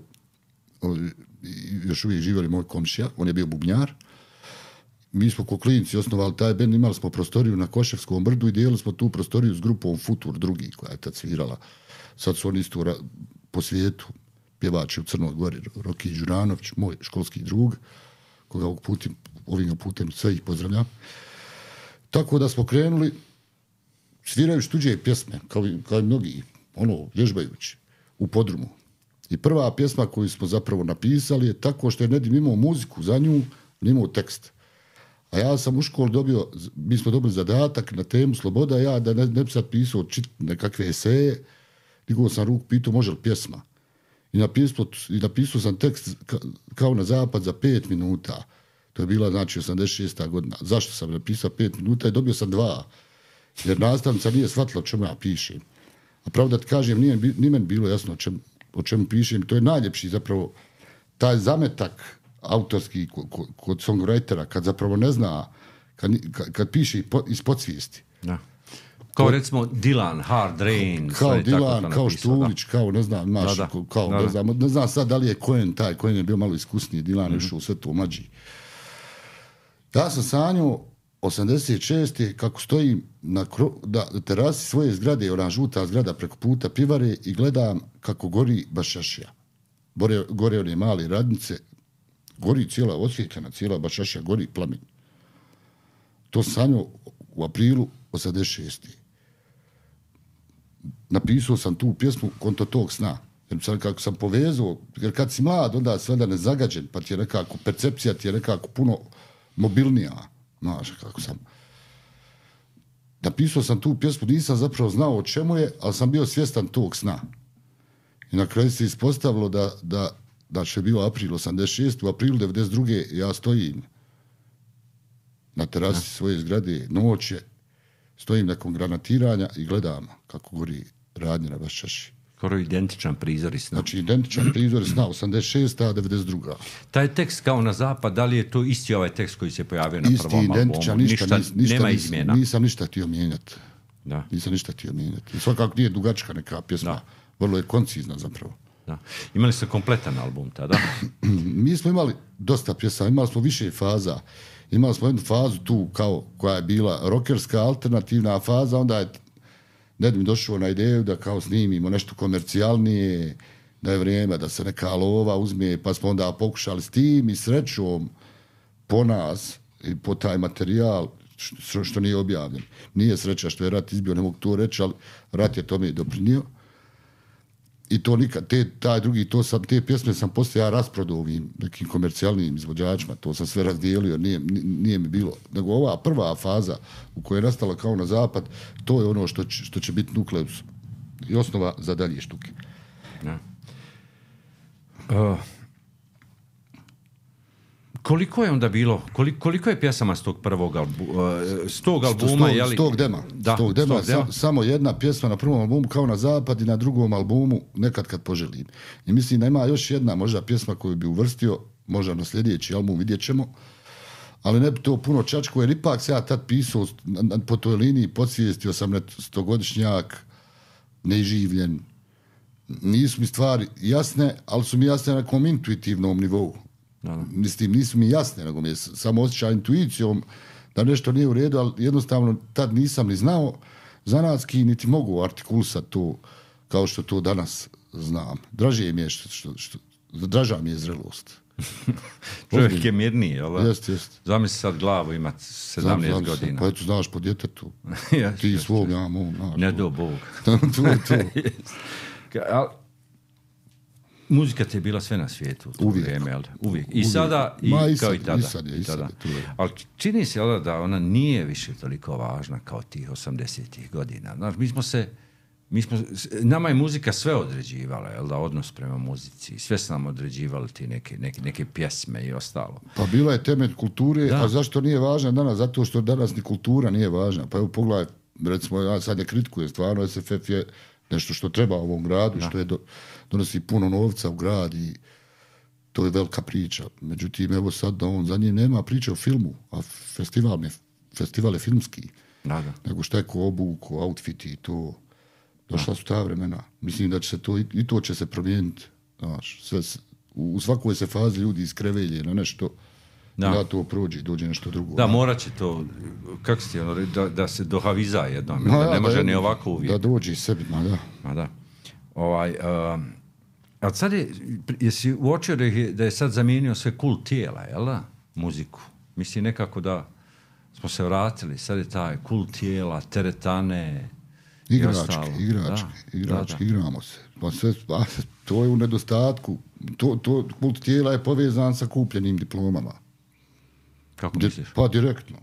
još uvijek živjeli moj komšija, on je bio bubnjar. Mi smo ko klinci osnovali taj bend, imali smo prostoriju na Koševskom brdu i dijelili smo tu prostoriju s grupom Futur drugi, koja je tad svirala. Sad su oni isto po svijetu, pjevači u Crnoj Gori, Roki Đuranović, moj školski drug, koga ovog putem, ovim putem sve ih pozdravljam. Tako da smo krenuli, svirajući tuđe pjesme, kao i, kao i mnogi, ono, vježbajući, u podrumu. I prva pjesma koju smo zapravo napisali je tako što je Nedim imao muziku za nju, imao tekst. A ja sam u školu dobio, mi smo dobili zadatak na temu Sloboda, ja da ne, ne bi sad pisao čit nekakve eseje, digao sam ruku, pitao može li pjesma. I napisao, i napisao sam tekst ka, kao na zapad za pet minuta. To je bila, znači, osamdeset šesta godina. Zašto sam napisao pet minuta i dobio sam dva. Jer nastavnica nije shvatila o čemu ja pišem. A pravo da ti kažem, nije, nije meni bilo jasno o, čem, o čemu pišem. To je najljepši zapravo taj zametak autorski kod, kod songwritera, kad zapravo ne zna, kad, kad, kad piše iz podsvijesti. Da. Kao kod, recimo Dylan, Hard Rain. Kao Dylan, kao Štulić, kao ne znam, maš, da, da. kao, da, ne, znam, ne znam sad da li je Cohen taj, Cohen je bio malo iskusniji, Dylan mm-hmm. išao u sve to mlađi. Ja sam sanjao osamdeset šeste kako stojim na kro, da, terasi svoje zgrade, ona žuta zgrada preko puta pivare i gledam kako gori Bašašija. Gore, gore one male radnice, gori cijela osvjetljena, cijela Bašašija, gori plamen. To sam sanjao u aprilu osamdeset šeste. Napisao sam tu pjesmu konto tog sna. Jer sam, kako sam povezao, jer kad si mlad, onda sve da ne zagađen, pa ti je nekako, percepcija ti je nekako puno mobilnija. Znaš, kako sam... Napisao sam tu pjesmu, nisam zapravo znao o čemu je, ali sam bio svjestan tog sna. I na kraju se ispostavilo da, da, da će bio april osamdeset šeste. U aprilu devedeset druge ja stojim na terasi ja. svoje zgrade, noć je, stojim nakon granatiranja i gledam kako gori radnje na Baščaši. Skoro identičan prizor i sna. Znači, identičan prizor i sna, osamdeset šesta. devedeset druga. Taj tekst kao na zapad, da li je to isti ovaj tekst koji se pojavio na isti, prvom albumu? Ništa, ništa, ništa, nema nis, izmjena. Nisam ništa htio mijenjati. Da. Nisam ništa htio mijenjati. I svakako nije dugačka neka pjesma. Da. Vrlo je koncizna zapravo. Da. Imali ste kompletan album tada? Mi smo imali dosta pjesama, imali smo više faza. Imali smo jednu fazu tu kao koja je bila rokerska, alternativna faza, onda je Nedim došao na ideju da kao snimimo nešto komercijalnije, da je vrijeme da se neka lova uzme, pa smo onda pokušali s tim i srećom po nas i po taj materijal, što, što nije objavljen. Nije sreća što je rat izbio, ne mogu to reći, ali rat je tome i doprinio. I to nikad, te, taj drugi, to sam, te pjesme sam poslije ja rasprodao ovim nekim komercijalnim izvođačima, to sam sve razdijelio, nije, nije mi bilo. Nego ova prva faza u kojoj je nastala kao na zapad, to je ono što će, što će biti nukleus i osnova za dalje štuke. Ja. Uh, koliko je onda bilo, koliko, koliko je pjesama s tog prvog albu, uh, s tog albuma? S tog, tog dema. Da, tog dema, tog dema. Sa, samo jedna pjesma na prvom albumu kao na zapad i na drugom albumu Nekad kad poželim. I mislim da ima još jedna možda pjesma koju bi uvrstio, možda na sljedeći album vidjet ćemo, ali ne bi to puno čačko, jer ipak se ja tad pisao po toj liniji, podsvijestio sam stogodišnjak, neživljen. Nisu mi stvari jasne, ali su mi jasne na nekom intuitivnom nivou. Da. Mislim, nisu mi jasne, nego mi je samo osjećaj intuicijom da nešto nije u redu, ali jednostavno tad nisam ni znao zanatski, niti mogu artikulisati to kao što to danas znam. Draže mi je što, što, što draža mi je zrelost. Čovjek je mirniji, jel? Jest, jest. Zamisli sad glavu imati sedamnaest znam, znam godina. Pa eto, znaš po djetetu. ja, Ti jest, svog, ja mom, znaš. Ne do Bog. to je to. Al, muzika ti je bila sve na svijetu. Uvijek. Vrijeme, jel? Uvijek. I Uvijek. sada, i, Ma, i kao sad, i tada. I sad je, i sad je. Ali čini se, jel, da ona nije više toliko važna kao tih osamdesetih godina. Znaš, mi smo se Mi smo, nama je muzika sve određivala, jel da, odnos prema muzici. Sve su nam određivali ti neke, neke, neke pjesme i ostalo. Pa bila je temelj kulture, da. A zašto nije važna danas? Zato što danas ni kultura nije važna. Pa evo pogledaj, recimo, ja sad ne kritikujem, stvarno S F F je nešto što treba u ovom gradu, da. Što je do, donosi puno novca u grad i to je velika priča. Međutim, evo sad da on za njim nema priče o filmu, a festival, je, festival je filmski. Da, da. Nego šta je ko obuku, outfiti i to. Došla su ta vremena. Mislim da će se to, i to će se promijeniti. Znaš, sve, u svakoj se fazi ljudi iskrevelje na nešto, da, da to prođe i dođe nešto drugo. Da, morat će to, kako si ti ono, da, da se dohaviza jednom, da, da ne može da, ni ovako uvijek. Da dođe sebi, ma da. Ma da. Ovaj, uh, a sad je, jesi uočio da je, da je sad zamijenio sve kult tijela, jel da? Muziku. Mislim nekako da smo se vratili, sad je taj kult tijela, teretane, Igrački, igrački, da, igrački, da, da. Igramo se. Pa sve, pa, to je u nedostatku. To, to, kult tijela je povezan sa kupljenim diplomama. Kako misliš? Pa direktno.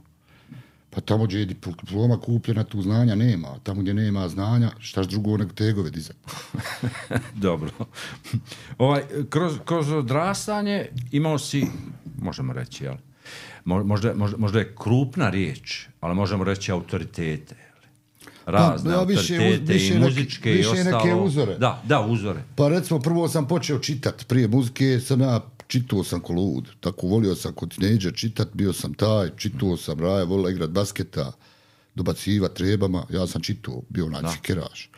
Pa tamo gdje je diploma kupljena, tu znanja nema. Tamo gdje nema znanja, štaš drugo nego tegove dizati. Dobro. Ovaj, kroz, kroz odrastanje imao si, možemo reći, jel? Možda, možda, možda je krupna riječ, ali možemo reći autoritete. Razne pa, ja, autoritete više, i muzičke neke, i ostalo. Neke uzore. Da, da, uzore. Pa recimo, prvo sam počeo čitati. Prije muzike sam ja čitao sam ko lud. Tako volio sam kod tinejdžer čitati, bio sam taj, čitao sam, Raja volila igrat basketa, dobaciva trebama, ja sam čitao, bio onaj fikeraš.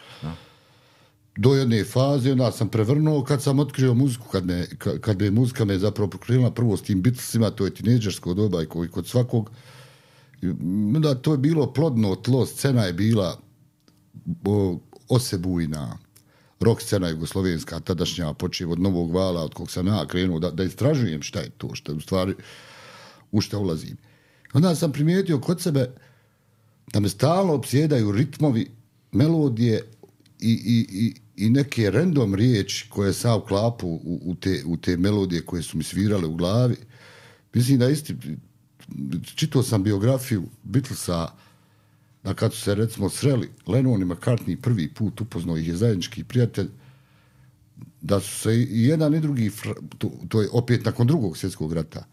Do jedne faze, onda sam prevrnuo kad sam otkrio muziku, kad me, kad me muzika me zapravo prokrenula prvo s tim Beatlesima, to je tinejdžersko doba i kod svakog. Da, to je bilo plodno tlo, scena je bila o, osebujna, rock scena jugoslovenska, tadašnja, počeo od Novog vala, od kog sam ja krenuo, da, da istražujem šta je to, šta u stvari, u šta ulazim. Onda sam primijetio kod sebe da me stalno opsjedaju ritmovi, melodije i, i, i, i neke random riječi koje sam uklapu u, u, te, u te melodije koje su mi svirale u glavi. Mislim da isti... Čitao sam biografiju Beatlesa, da kad su se recimo sreli Lennon i McCartney prvi put, upoznao ih je zajednički prijatelj, da su se i jedan i drugi, to, to je opet nakon drugog svjetskog rata,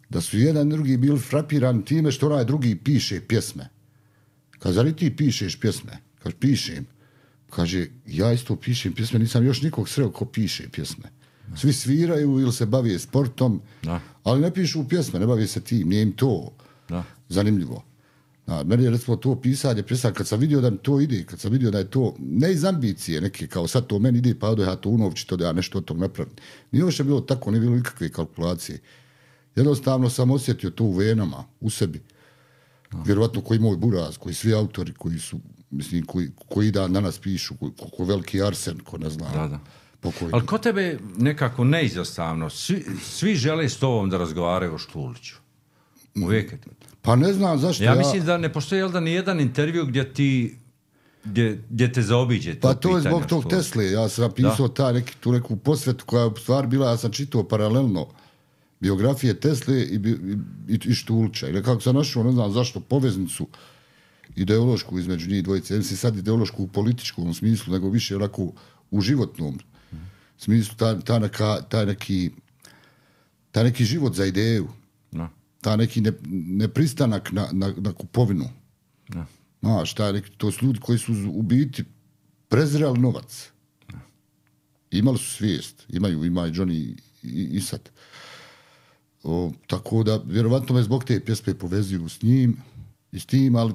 da su jedan i drugi bili frapirani time što onaj drugi piše pjesme. Kaže, zar i ti pišeš pjesme? Kaže, pišem. Kaže, ja isto pišem pjesme, nisam još nikog sreo ko piše pjesme. Svi sviraju ili se bavije sportom, da. Ali ne pišu pjesme, ne bavije se tim, nije im to da. Zanimljivo. Da, meni je recimo to pisanje, pisanje, kad sam vidio da mi to ide, kad sam vidio da je to, ne iz ambicije neke, kao sad to meni ide, pa odo ja to unovčito, da ja nešto od tog napravim. Nije još bilo tako, nije bilo nikakve kalkulacije. Jednostavno sam osjetio to u venama, u sebi. Da. Vjerovatno koji moj buraz, koji svi autori, koji su, mislim, koji, koji dan danas pišu, koji, ko veliki Arsen, ko ne zna. Da, da. Pokojno. Ali ko tebe nekako neizostavno, svi, svi žele s tobom da razgovaraju o Štuliću. Uvijek je to. Pa ne znam zašto ja... Ja mislim da ne postoji, jel da, ni jedan intervju gdje ti, gdje, gdje te zaobiđe to pa to je zbog tog Štulić. Tesle. Ja sam napisao ta neki, tu neku posvetu koja je u stvari bila, ja sam čitao paralelno biografije Tesle i, i, i Štulića. I nekako sam našao, ne znam zašto, poveznicu ideološku između njih dvojice. Mislim sad ideološku u političkom smislu, nego više onako u životnom smislu, ta, ta, neka, ta, neki, ta neki život za ideju, no. Ta neki ne, nepristanak na, na, na kupovinu. No. Znaš, ta neki, to su ljudi koji su u biti prezirali novac. No. Imali su svijest, imaju, ima i Johnny i, i sad. O, tako da, vjerovatno me zbog te pjesme povezuju s njim i s tim, ali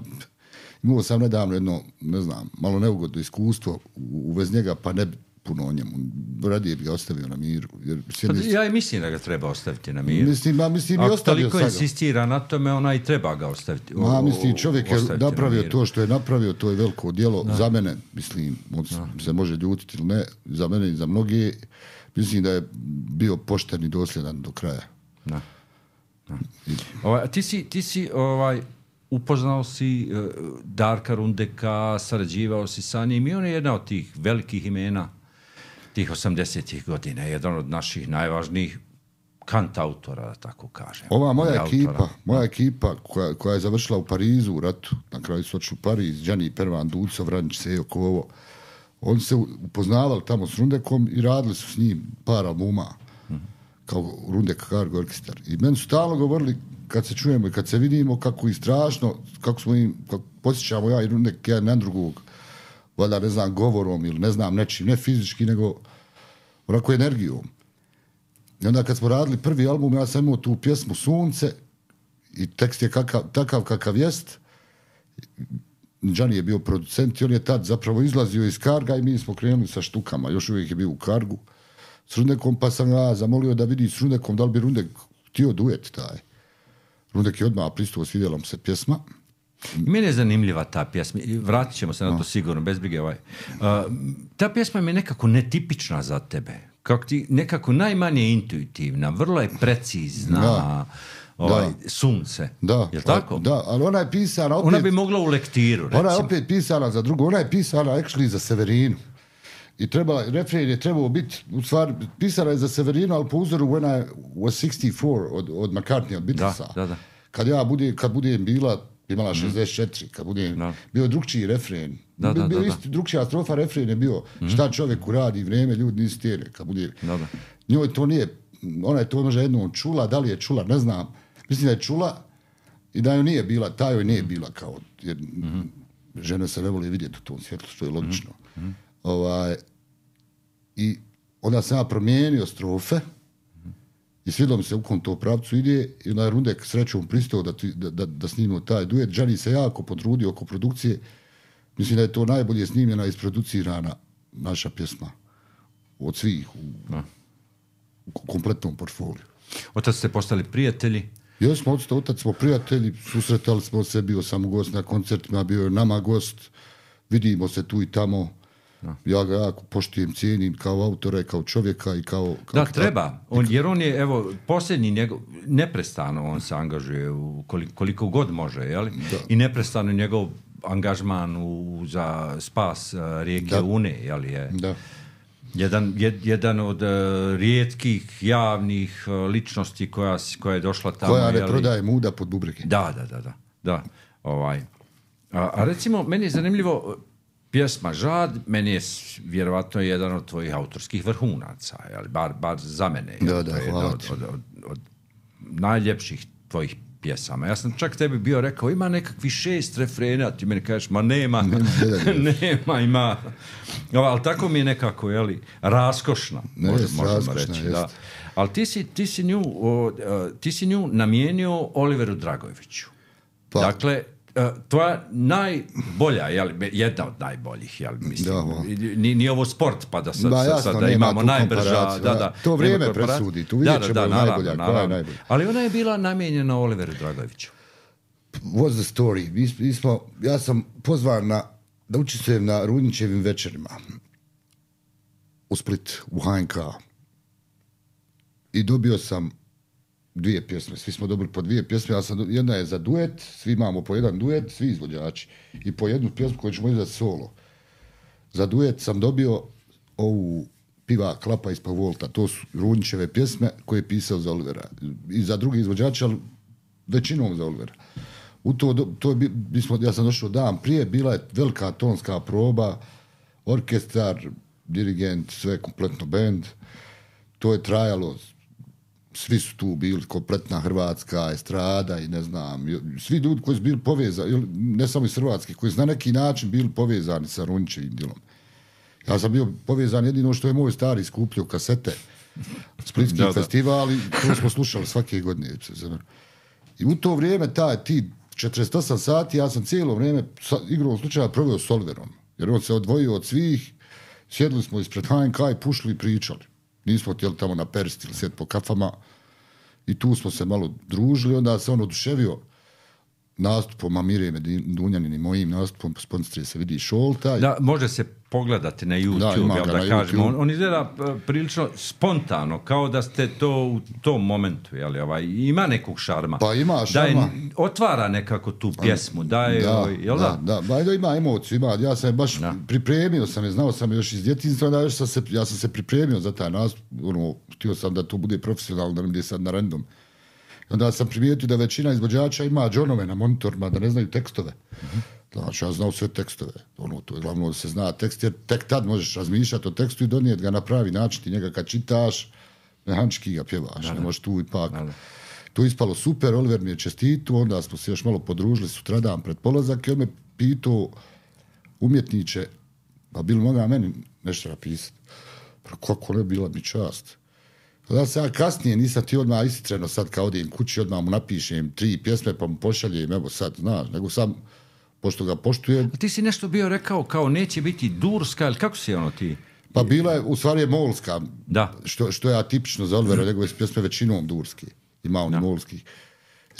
imao sam nedavno jedno, ne znam, malo neugodno iskustvo u vez njega, pa ne puno o njemu. Radije bi ga ostavio na miru. Jer, pa, ja i mislim da ga treba ostaviti na miru. Mislim, ma, mislim, ako toliko insistira na tome, ona i treba ga ostaviti. Ma, mislim, čovjek je napravio to što je napravio, to je veliko djelo. Da. Za mene, mislim, on se može ljutiti ili ne, za mene i za mnogi, mislim da je bio pošten i dosljedan do kraja. Da. Da. Ovaj, ti si, ti si ovaj, upoznao si uh, Darka Rundeka, sarađivao si sa njim i on je jedna od tih velikih imena tih osamdesetih godina, jedan od naših najvažnijih kantautora, da tako kažem. Ova moja ekipa, moja ekipa koja, koja je završila u Parizu u ratu, na kraju su odšli u Pariz, Đani Pervan, Duco, Vranjić, Sejo, Kovo, oni se upoznavali tamo s Rundekom i radili su s njim par albuma, mm-hmm. kao Rundek Cargo Orkestar. I meni su stalno govorili, kad se čujemo i kad se vidimo, kako i strašno, kako smo im, kako posjećamo ja i Rundek jedan na drugog, valjda ne znam, govorom ili ne znam nečim, ne fizički, nego onako energijom. I onda kad smo radili prvi album, ja sam imao tu pjesmu Sunce i tekst je kakav, takav kakav jest. Đani je bio producent i on je tad zapravo izlazio iz Karga i mi smo krenuli sa štukama. Još uvijek je bio u Kargu s Rundekom, pa sam ja zamolio da vidi s Rundekom da li bi Rundek htio duet taj. Rundek je odmah pristupio, svidjela mu se pjesma. I meni je zanimljiva ta pjesma, vratit ćemo se na to sigurno, bez brige. Ovaj. Uh, ta pjesma mi je nekako netipična za tebe, kako ti, nekako najmanje intuitivna, vrlo je precizna, da, ovaj, da. Sunce, da, je li tako? Da, ali ona je pisana opet... Ona bi mogla u lektiru, recimo. Ona je opet pisana za drugo, ona je pisana actually za Severinu. I trebala, refren je trebao biti, u stvari, pisana je za Severinu, ali po uzoru When I was sixty-four od, od McCartney, od Beatlesa. Da, da, da. Kad ja budem, kad budem bila, imala šezdeset četiri, kad budem, da. Bio drugčiji refren. Da, da, bio da, isti, drugčija strofa, refren je bio mm. šta čovjeku radi, vrijeme, ljudi nisi tijene. Kad budem, da, da. Njoj to nije, ona je to možda jednom čula, da li je čula, ne znam. Mislim da je čula i da joj nije bila, ta joj nije bila kao, jer mm-hmm. žene se ne voli vidjeti u tom svjetlu, što je logično. Mm-hmm. Ovaj, i onda sam ja promijenio strofe i svidilo mi se u kom to pravcu ide i onda je Rundek srećom pristao da, da, da, da snimimo taj duet. Đani se jako potrudio oko produkcije. Mislim da je to najbolje snimljena i isproducirana naša pjesma od svih u, u kompletnom portfoliju. Otac ste postali prijatelji? Jesmo, otac, otac smo prijatelji, susretali smo se, bio sam u gost na koncertima, bio je nama gost, vidimo se tu i tamo. Da. Ja ga jako poštujem, cijenim kao autora, kao čovjeka i kao... kao da, treba, on, jer on je, evo, posljednji njegov, neprestano on se angažuje u koliko, koliko god može, jeli? Da. I neprestano njegov angažman u, za spas uh, rijeke da. Une, jeli je? Da. Jedan, jed, jedan od uh, rijetkih javnih uh, ličnosti koja, koja je došla tamo. Koja ne jeli? Prodaje muda pod bubrege. Da, da, da, da. da. Ovaj. A, a recimo, meni je zanimljivo, pjesma Žad, meni je vjerovatno jedan od tvojih autorskih vrhunaca, jel? Bar, bar za mene. Da, da, hvala od, od, od, od najljepših tvojih pjesama. Ja sam čak tebi bio rekao, ima nekakvi šest refrena, ti meni kažeš, ma nema, nema, nema ima. Ali tako mi je nekako, jeli, raskošna, ne, možda, jest, možemo raskošna, reći. Da. Ali ti si, ti, si nju, o, ti si nju namijenio Oliveru Dragojeviću. Pa. Dakle, tvoja najbolja, jel, jedna od najboljih, jel, mislim, nije ni ovo sport, pa da sad, da, jasno, sad da imamo najbrža, da, da. To vrijeme presudi, tu vidjet ćemo da, da, najbolja, naravno, koja je najbolja. Ali ona je bila namijenjena Oliveru Dragojeviću. What's the story? Mi, mi smo, ja sam pozvan na, da učestvujem na Rudnićevim večerima u Split, u H N K. I dobio sam dvije pjesme, svi smo dobili po dvije pjesme, ja sam, jedna je za duet, svi imamo po jedan duet, svi izvođači, i po jednu pjesmu koju ćemo izdati solo. Za duet sam dobio ovu Piva klapa ispod Volta, to su Rudnićeve pjesme koje je pisao za Olivera. I za drugi izvođači, ali većinom za Olivera. U to, to je, mi smo, ja sam došao dan prije, bila je velika tonska proba, orkestar, dirigent, sve kompletno band. To je trajalo, svi su tu bili, kompletna hrvatska estrada i ne znam, svi ljudi koji su bili povezani, ne samo iz Hrvatske, koji su na neki način bili povezani sa Rudnićevim djelom. Ja sam bio povezan jedino što je moj stari skupljio kasete Splitski da, da. festival i to smo slušali svake godine. I u to vrijeme taj, ti četrdeset osam sati, ja sam cijelo vrijeme sa, igrom slučaja proveo s Oliverom. Jer on se odvojio od svih, sjedli smo ispred H N K i pušli i pričali. Nismo htjeli tamo na persti ili sjeti po kafama. I tu smo se malo družili, onda se on oduševio nastupom Amireme Dunjanin i mojim nastupom, po sponsorije se vidi Šolta. Da, može se pogledati na YouTube, da, jel da na kažemo. YouTube. On, on izgleda prilično spontano, kao da ste to u tom momentu, jel, ovaj, ima nekog šarma. Pa ima šarma. Da je, otvara nekako tu pjesmu, da je, da, ovaj, jel da? Da, da, da, ima emociju, ima. Ja sam je baš da. pripremio sam je, znao sam je još iz djetinjstva, da još sam se, ja sam se pripremio za taj nastup, ono, htio sam da to bude profesionalno, da ne bude sad na random. Onda sam primijetio da većina izvođača ima džonove na monitorima, da ne znaju tekstove. Uh-huh. Znači, ja znao sve tekstove. Ono, to je glavno da se zna tekst, jer tek tad možeš razmišljati o tekstu i donijeti ga na pravi način. Ti njega kad čitaš, mehančki ga pjevaš. Da, ne možeš tu ipak. Da, da. To je ispalo super, Oliver mi je čestitu, onda smo se još malo podružili sutradan pred polazak i on me pitao umjetniče, pa bilo moga meni nešto napisati. Pa kako ne, bila mi čast. Da se ja kasnije nisam ti odmah istitreno sad kad odijem kući, odmah mu napišem tri pjesme pa mu pošaljem, evo sad, znaš, nego sam, pošto ga poštujem. A ti si nešto bio rekao kao neće biti durska, ili kako si ono ti? Pa bila je, u stvari je molska, da. Što, što je atipično za Olivera, njegove pjesme većinom durski, ima on molskih.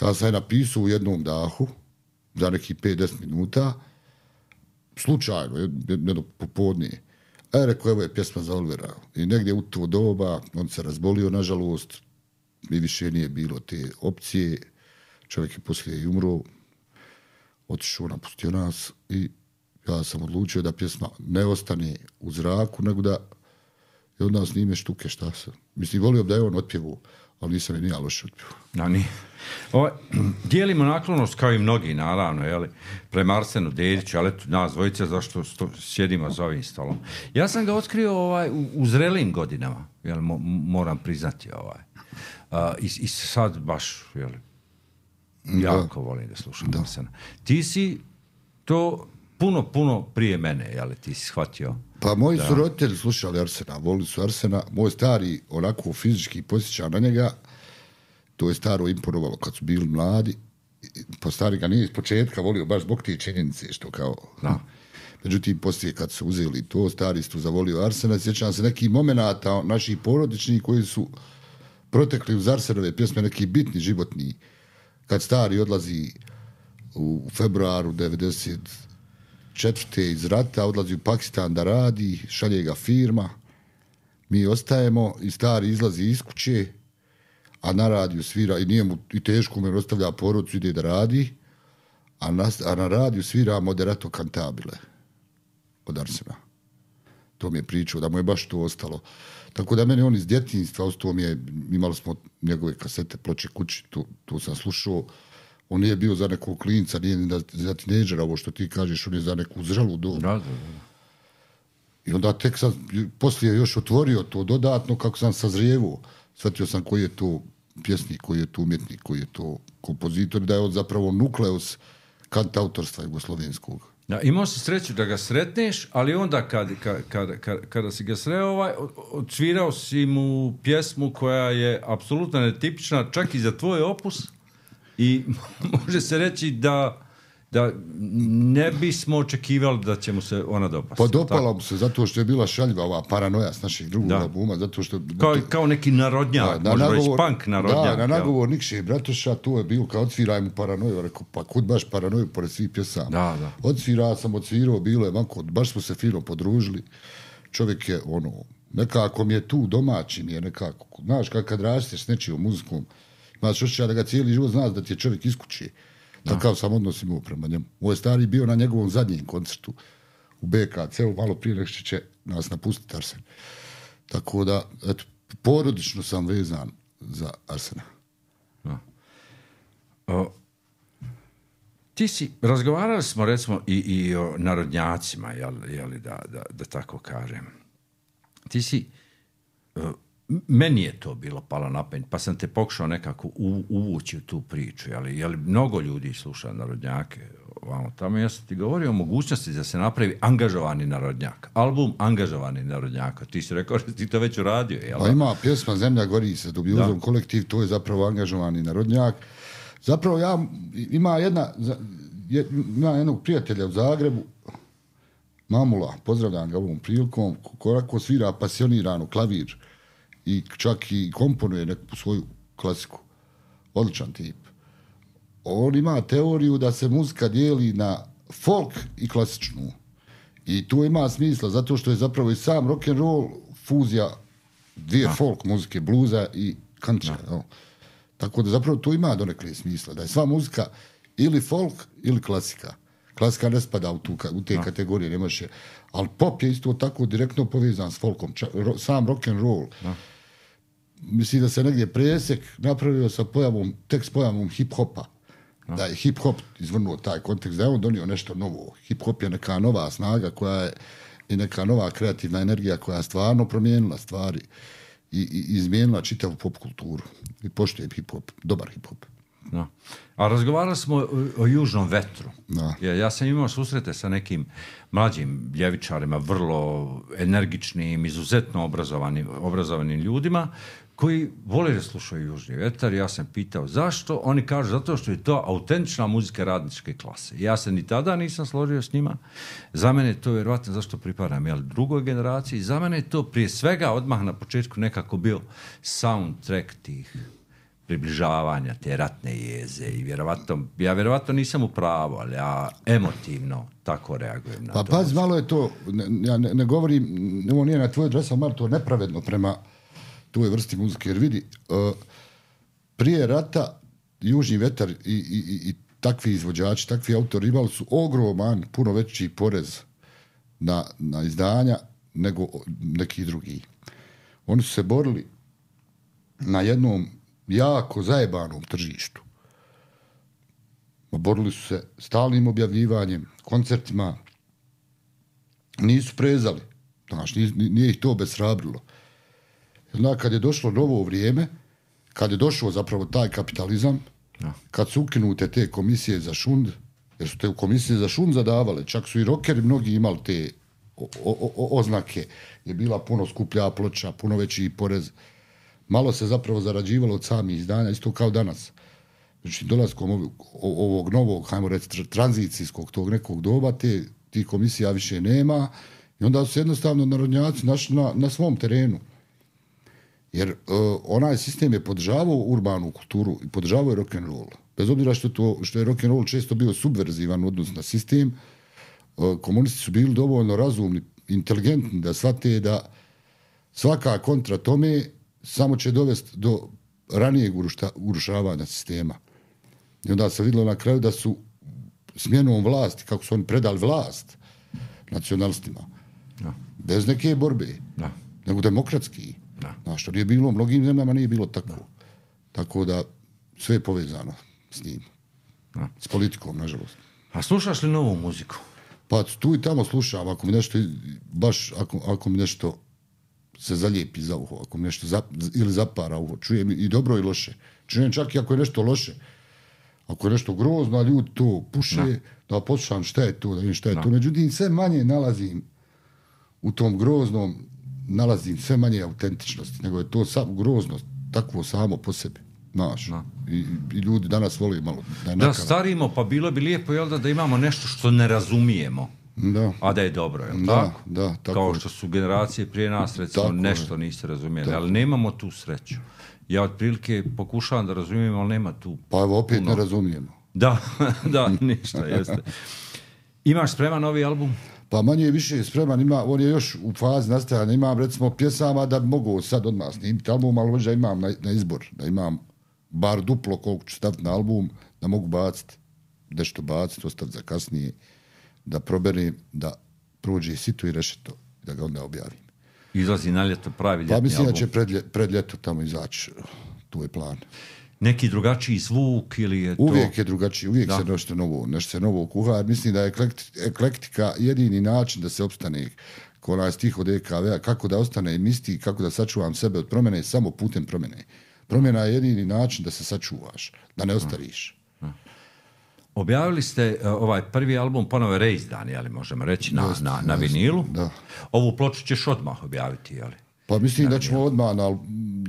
Ja sam je napisao u jednom dahu, za nekih pet do deset minuta, slučajno, jedno popodnije. E, rekao, evo je pjesma za Olivera. I negdje u to doba, on se razbolio, nažalost, i više nije bilo te opcije. Čovjek je poslije i umro, otišao, napustio nas i ja sam odlučio da pjesma ne ostane u zraku, nego da je od nas snime štuke, šta se. Mislim, volio bi da je on otpjevu, ali nisam je nija loše otpjevu. No, nije. Ovo, dijelimo naklonost kao i mnogi, naravno, jeli, prema Arsenu Dediću, ali eto, nas dvojice, zašto sto, sjedimo za ovim stolom. Ja sam ga otkrio ovaj, u, u zrelim godinama, jel, mo, moram priznati. Ovaj. Uh, i, I sad baš, jeli, jako da. volim da slušam da. Arsena. Ti si to puno, puno prije mene, jel, ti si shvatio? Pa moji da. su roditelji slušali Arsena, volili su Arsena. Moj stari onako fizički posjeća na njega. To je staro imponovalo kad su bili mladi. Pa stari ga nije iz početka volio baš zbog te činjenice što kao... Da. Međutim, poslije kad su uzeli to, stari su zavolio Arsena. Sjećam se nekih momenata naših porodičnih koji su protekli uz Arsenove pjesme, neki bitni, životni. Kad stari odlazi u februaru devedeset četvrte iz rata, odlazi u Pakistan da radi, šalje ga firma, mi ostajemo i stari izlazi iz kuće, a na radiju svira, i nije mu, i teško mu ostavlja porodicu, ide da radi, a na, a na radiju svira Moderato Cantabile od Arsena. To mi je pričao, da mu je baš to ostalo. Tako da meni on iz djetinjstva, ostao mi je, imali smo njegove kasete, ploče kući, tu, tu sam slušao. On nije bio za nekog klinca, nije ni za tineđera, ovo što ti kažeš, on je za neku zrelu dobu. Da, da, da. I onda tek sam poslije još otvorio to dodatno, kako sam sazrijevo. Shvatio sam koji je to pjesnik, koji je to umjetnik, koji je to kompozitor, da je on zapravo nukleus kantautorstva jugoslovenskog. Da, imao si sreću da ga sretneš, ali onda kad, kad, kad, kad, kada si ga sreo, ovaj, odsvirao si mu pjesmu koja je apsolutno netipična, čak i za tvoj opus, i može se reći da, da ne bismo očekivali da će mu se ona dopasti. Pa dopala mu se, zato što je bila šaljiva ova paranoja s naših drugog da. albuma, zato što... Kao, kao neki narodnjak, da, možda već punk narodnjak. Da, na nagovor Nikše i Bratoša, to je bilo kao odsviraj mu paranoju, rekao, pa kud baš paranoju pored svih pjesama. Da, da. Odsvirao sam, odsvirao, bilo je manko, baš smo se fino podružili. Čovjek je, ono, nekako mi je tu domaći, mi je nekako, znaš, kad, kad rasteš s nečijom muzikom, imaš osjećaj da ga cijeli život znaš da ti je čovjek iz kuće. Takav sam odnos imao prema njemu. Moj stari bio na njegovom zadnjem koncertu u B K C-u, malo prije nek će nas napustiti Arsen. Tako da, eto, porodično sam vezan za Arsena. Da. O, ti si, razgovarali smo recimo i, i o narodnjacima, jel, jel, da, da, da tako kažem. Ti si uh, meni je to bilo palo na pamet, pa sam te pokušao nekako u, uvući u tu priču, ali je li mnogo ljudi sluša narodnjake ovamo tamo, ja sam ti govorio o mogućnosti da se napravi angažovani narodnjak, album angažovani narodnjaka, ti si rekao da ti to već uradio, jel? Pa ima pjesma Zemlja gori se, Dubjuzom kolektiv, to je zapravo angažovani narodnjak. Zapravo ja, ima jedna, ima jednog prijatelja u Zagrebu, Mamula, pozdravljam ga ovom prilikom, ko svira pasionirano klavir i čak i komponuje neku svoju klasiku. Odličan tip. On ima teoriju da se muzika dijeli na folk i klasičnu. I to ima smisla, zato što je zapravo i sam rock and roll fuzija dvije folk muzike, bluza i country. No. Tako da zapravo to ima donekle smisla. Da je sva muzika ili folk ili klasika. Klasika ne spada u, tu, u te no. kategorije, ne može. Ali pop je isto tako direktno povezan s folkom. Ča, ro, sam rock and roll. No. Mislim da se negdje presjek napravio sa pojavom, tek s pojavom hip-hopa. No. Da je hip-hop izvrnuo taj kontekst, da je on donio nešto novo. Hip-hop je neka nova snaga koja je i neka nova kreativna energija koja je stvarno promijenila stvari i, i izmijenila čitavu pop kulturu. I poštujem hip-hop, dobar hip-hop. No. A razgovarali smo o, o južnom vetru. No. Ja, ja sam imao susrete sa nekim mlađim ljevičarima, vrlo energičnim, izuzetno obrazovanim, obrazovanim ljudima koji vole da slušaju južni vetar. Ja sam pitao zašto. Oni kažu zato što je to autentična muzika radničke klase. Ja se ni tada nisam složio s njima. Za mene je to vjerovatno zašto pripadam jel, drugoj generaciji. Za mene je to prije svega odmah na početku nekako bio soundtrack tih približavanja te ratne jeze i vjerovatno, ja vjerovatno nisam u pravu, ali ja emotivno tako reagujem na pa, to. Pa pazi, malo je to, ne, ja ne, ne govorim, ovo nije na tvoj adres, ali malo to nepravedno prema toj vrsti muzike, jer vidi, uh, prije rata Južni vetar i, i, i, i takvi izvođači, takvi autori imali su ogroman, puno veći porez na, na izdanja nego neki drugi. Oni su se borili na jednom jako zajebanom tržištu. Borili su se stalnim objavljivanjem, koncertima. Nisu prezali. Znaš, nije, nije ih to obeshrabrilo. Znači, kad je došlo novo vrijeme, kad je došao zapravo taj kapitalizam, no. kad su ukinute te komisije za šund, jer su te komisije za šund zadavale, čak su i rockeri mnogi imali te o, o, o, oznake, je bila puno skuplja ploča, puno veći porez. Malo se zapravo zarađivalo od samih izdanja, isto kao danas. Znači, dolaskom ovog, ovog novog, hajmo reći, tranzicijskog tog nekog doba, te, ti komisija više nema i onda su jednostavno narodnjaci našli na, na svom terenu. Jer uh, onaj sistem je podržavao urbanu kulturu i podržavao je rock'n'roll. Bez obzira što, to, što je rock'n'roll često bio subverzivan u odnosu na sistem, uh, komunisti su bili dovoljno razumni, inteligentni da shvate da svaka kontra tome samo će dovesti do ranijeg urušta, urušavanja sistema. I onda se vidjelo na kraju da su smjenom vlasti, kako su oni predali vlast nacionalistima, no. bez neke borbe, no. nego demokratski. No. Znaš, što nije bilo, u mnogim zemljama nije bilo tako. No. Tako da sve je povezano s njim. No. S politikom, nažalost. A slušaš li novu muziku? Pa tu i tamo slušam, ako mi nešto, baš ako, ako mi nešto se zalijepi za uho, ako mi nešto zap, ili zapara uho, čujem i dobro i loše. Čujem čak i ako je nešto loše. Ako je nešto grozno, a ljudi to puše, no. da poslušam šta je to, da vidim šta je no. to. Međutim, sve manje nalazim u tom groznom, nalazim sve manje autentičnosti, nego je to sam, grozno takvo samo po sebi. Znaš, no. I, i ljudi danas vole malo. Da, da starimo, pa bilo bi lijepo jel, da, da imamo nešto što ne razumijemo. Da. A da je dobro, je li da, tako? Da, tako? Kao što su generacije prije nas, recimo, tako nešto niste razumijeli, tako. Ali nemamo tu sreću. Ja otprilike pokušavam da razumijem, ali nema tu. Pa evo, opet puno. Ne razumijemo. Da, da, ništa, jeste. Imaš spreman novi album? Pa manje je više spreman, ima, on je još u fazi nastajanja, imam recimo pjesama da bi mogu sad odmah snimiti album, ali možda imam na, na izbor, da imam bar duplo koliko ću staviti na album, da mogu baciti, nešto baciti, ostaviti za kasnije, da proberim, da prođe sito i rešeto, da ga onda objavim. Izlazi na ljeto pravi ljetni album. Pa mislim da će pred, pred ljeto tamo izaći, tu je plan. Neki drugačiji zvuk ili je to... Uvijek je drugačiji, uvijek da. se nešto novo, nešto se novo kuha. Mislim da je eklektika jedini način da se opstane ko onaj stih od E K V-a, kako da ostanem isti, kako da sačuvam sebe od promjene, samo putem promjene. Promjena je jedini način da se sačuvaš, da ne ostariš. Objavili ste uh, ovaj prvi album ponovo reizdan, jeli, možemo reći, na, Just, na, na just, vinilu. Da. Ovu ploču ćeš odmah objaviti, jeli? Pa mislim na da ćemo odmah na,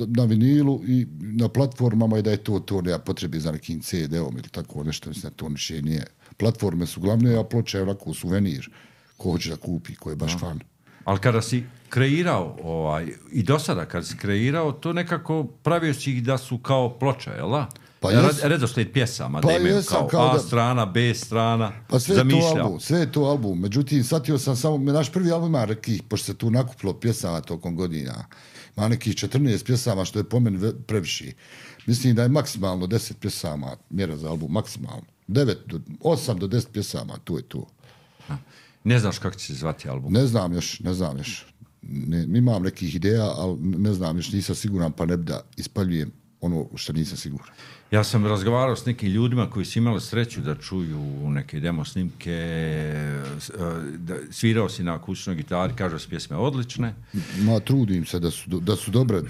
na vinilu i na platformama i da je to, to nema potrebe za nekim C D-om ili tako nešto, mislim da to više nije. Platforme su glavne, a ploča je onako suvenir, ko hoće da kupi, ko je baš no. fan. Ali kada si kreirao, ovaj, i do sada kad si kreirao, to nekako pravio si ih da su kao ploča, jel da? Pa jes, redoslijed pjesama, pa da imaju kao, kao A da, strana, B strana, pa sve zamišljao. To album, sve je to album, međutim, shvatio sam samo, naš prvi album ima nekih, pošto se tu nakupilo pjesama tokom godina, ima nekih četrnaest pjesama, što je po meni previše. Mislim da je maksimalno deset pjesama, mjera za album, maksimalno. devet, osam do deset pjesama, to je to. Ne znaš kako će se zvati album? Ne znam još, ne znam još. Ne, imam nekih ideja, ali ne znam još, nisam siguran, pa ne bi da ispaljujem ono što nisam siguran. Ja sam razgovarao s nekim ljudima koji su imali sreću da čuju neke demo snimke, da svirao si na akustičnoj gitari, kažu da su pjesme odlične. Ma, trudim se da su, da su dobre,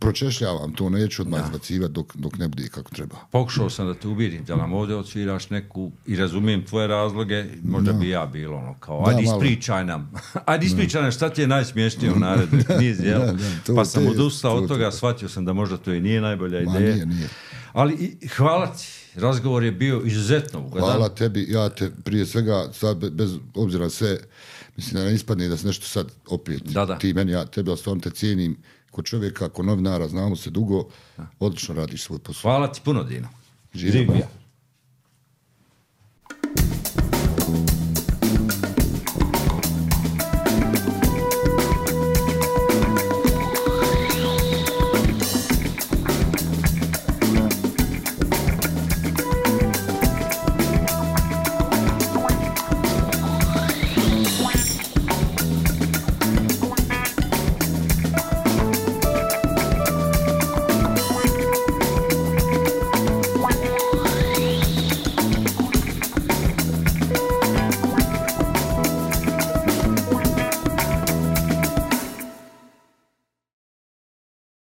pročešljavam to, neću odmah izbacivati dok, dok ne bude kako treba. Pokušao sam da te ubijedim, da nam ovdje odsviraš neku i razumijem tvoje razloge, možda da. bi ja bilo ono kao, ajde da, ispričaj nam, ajde ispričaj nam šta ti je najsmješnije u naredbi niz, jel? Da, da, to, pa sam odustao od toga, shvatio sam da možda to i nije najbolja ideja. Ma, nije, nije. Ali i, hvala ti, razgovor je bio izuzetno ugodan. Hvala tebi, ja te prije svega, sad bez obzira sve, mislim da ne ispadne da se nešto sad opet, da, da. ti meni, ja tebe, stvarno te cijenim, ko čovjeka, ko novinara, znamo se dugo, odlično radiš svoj posao. Hvala ti puno, Dino. Živio.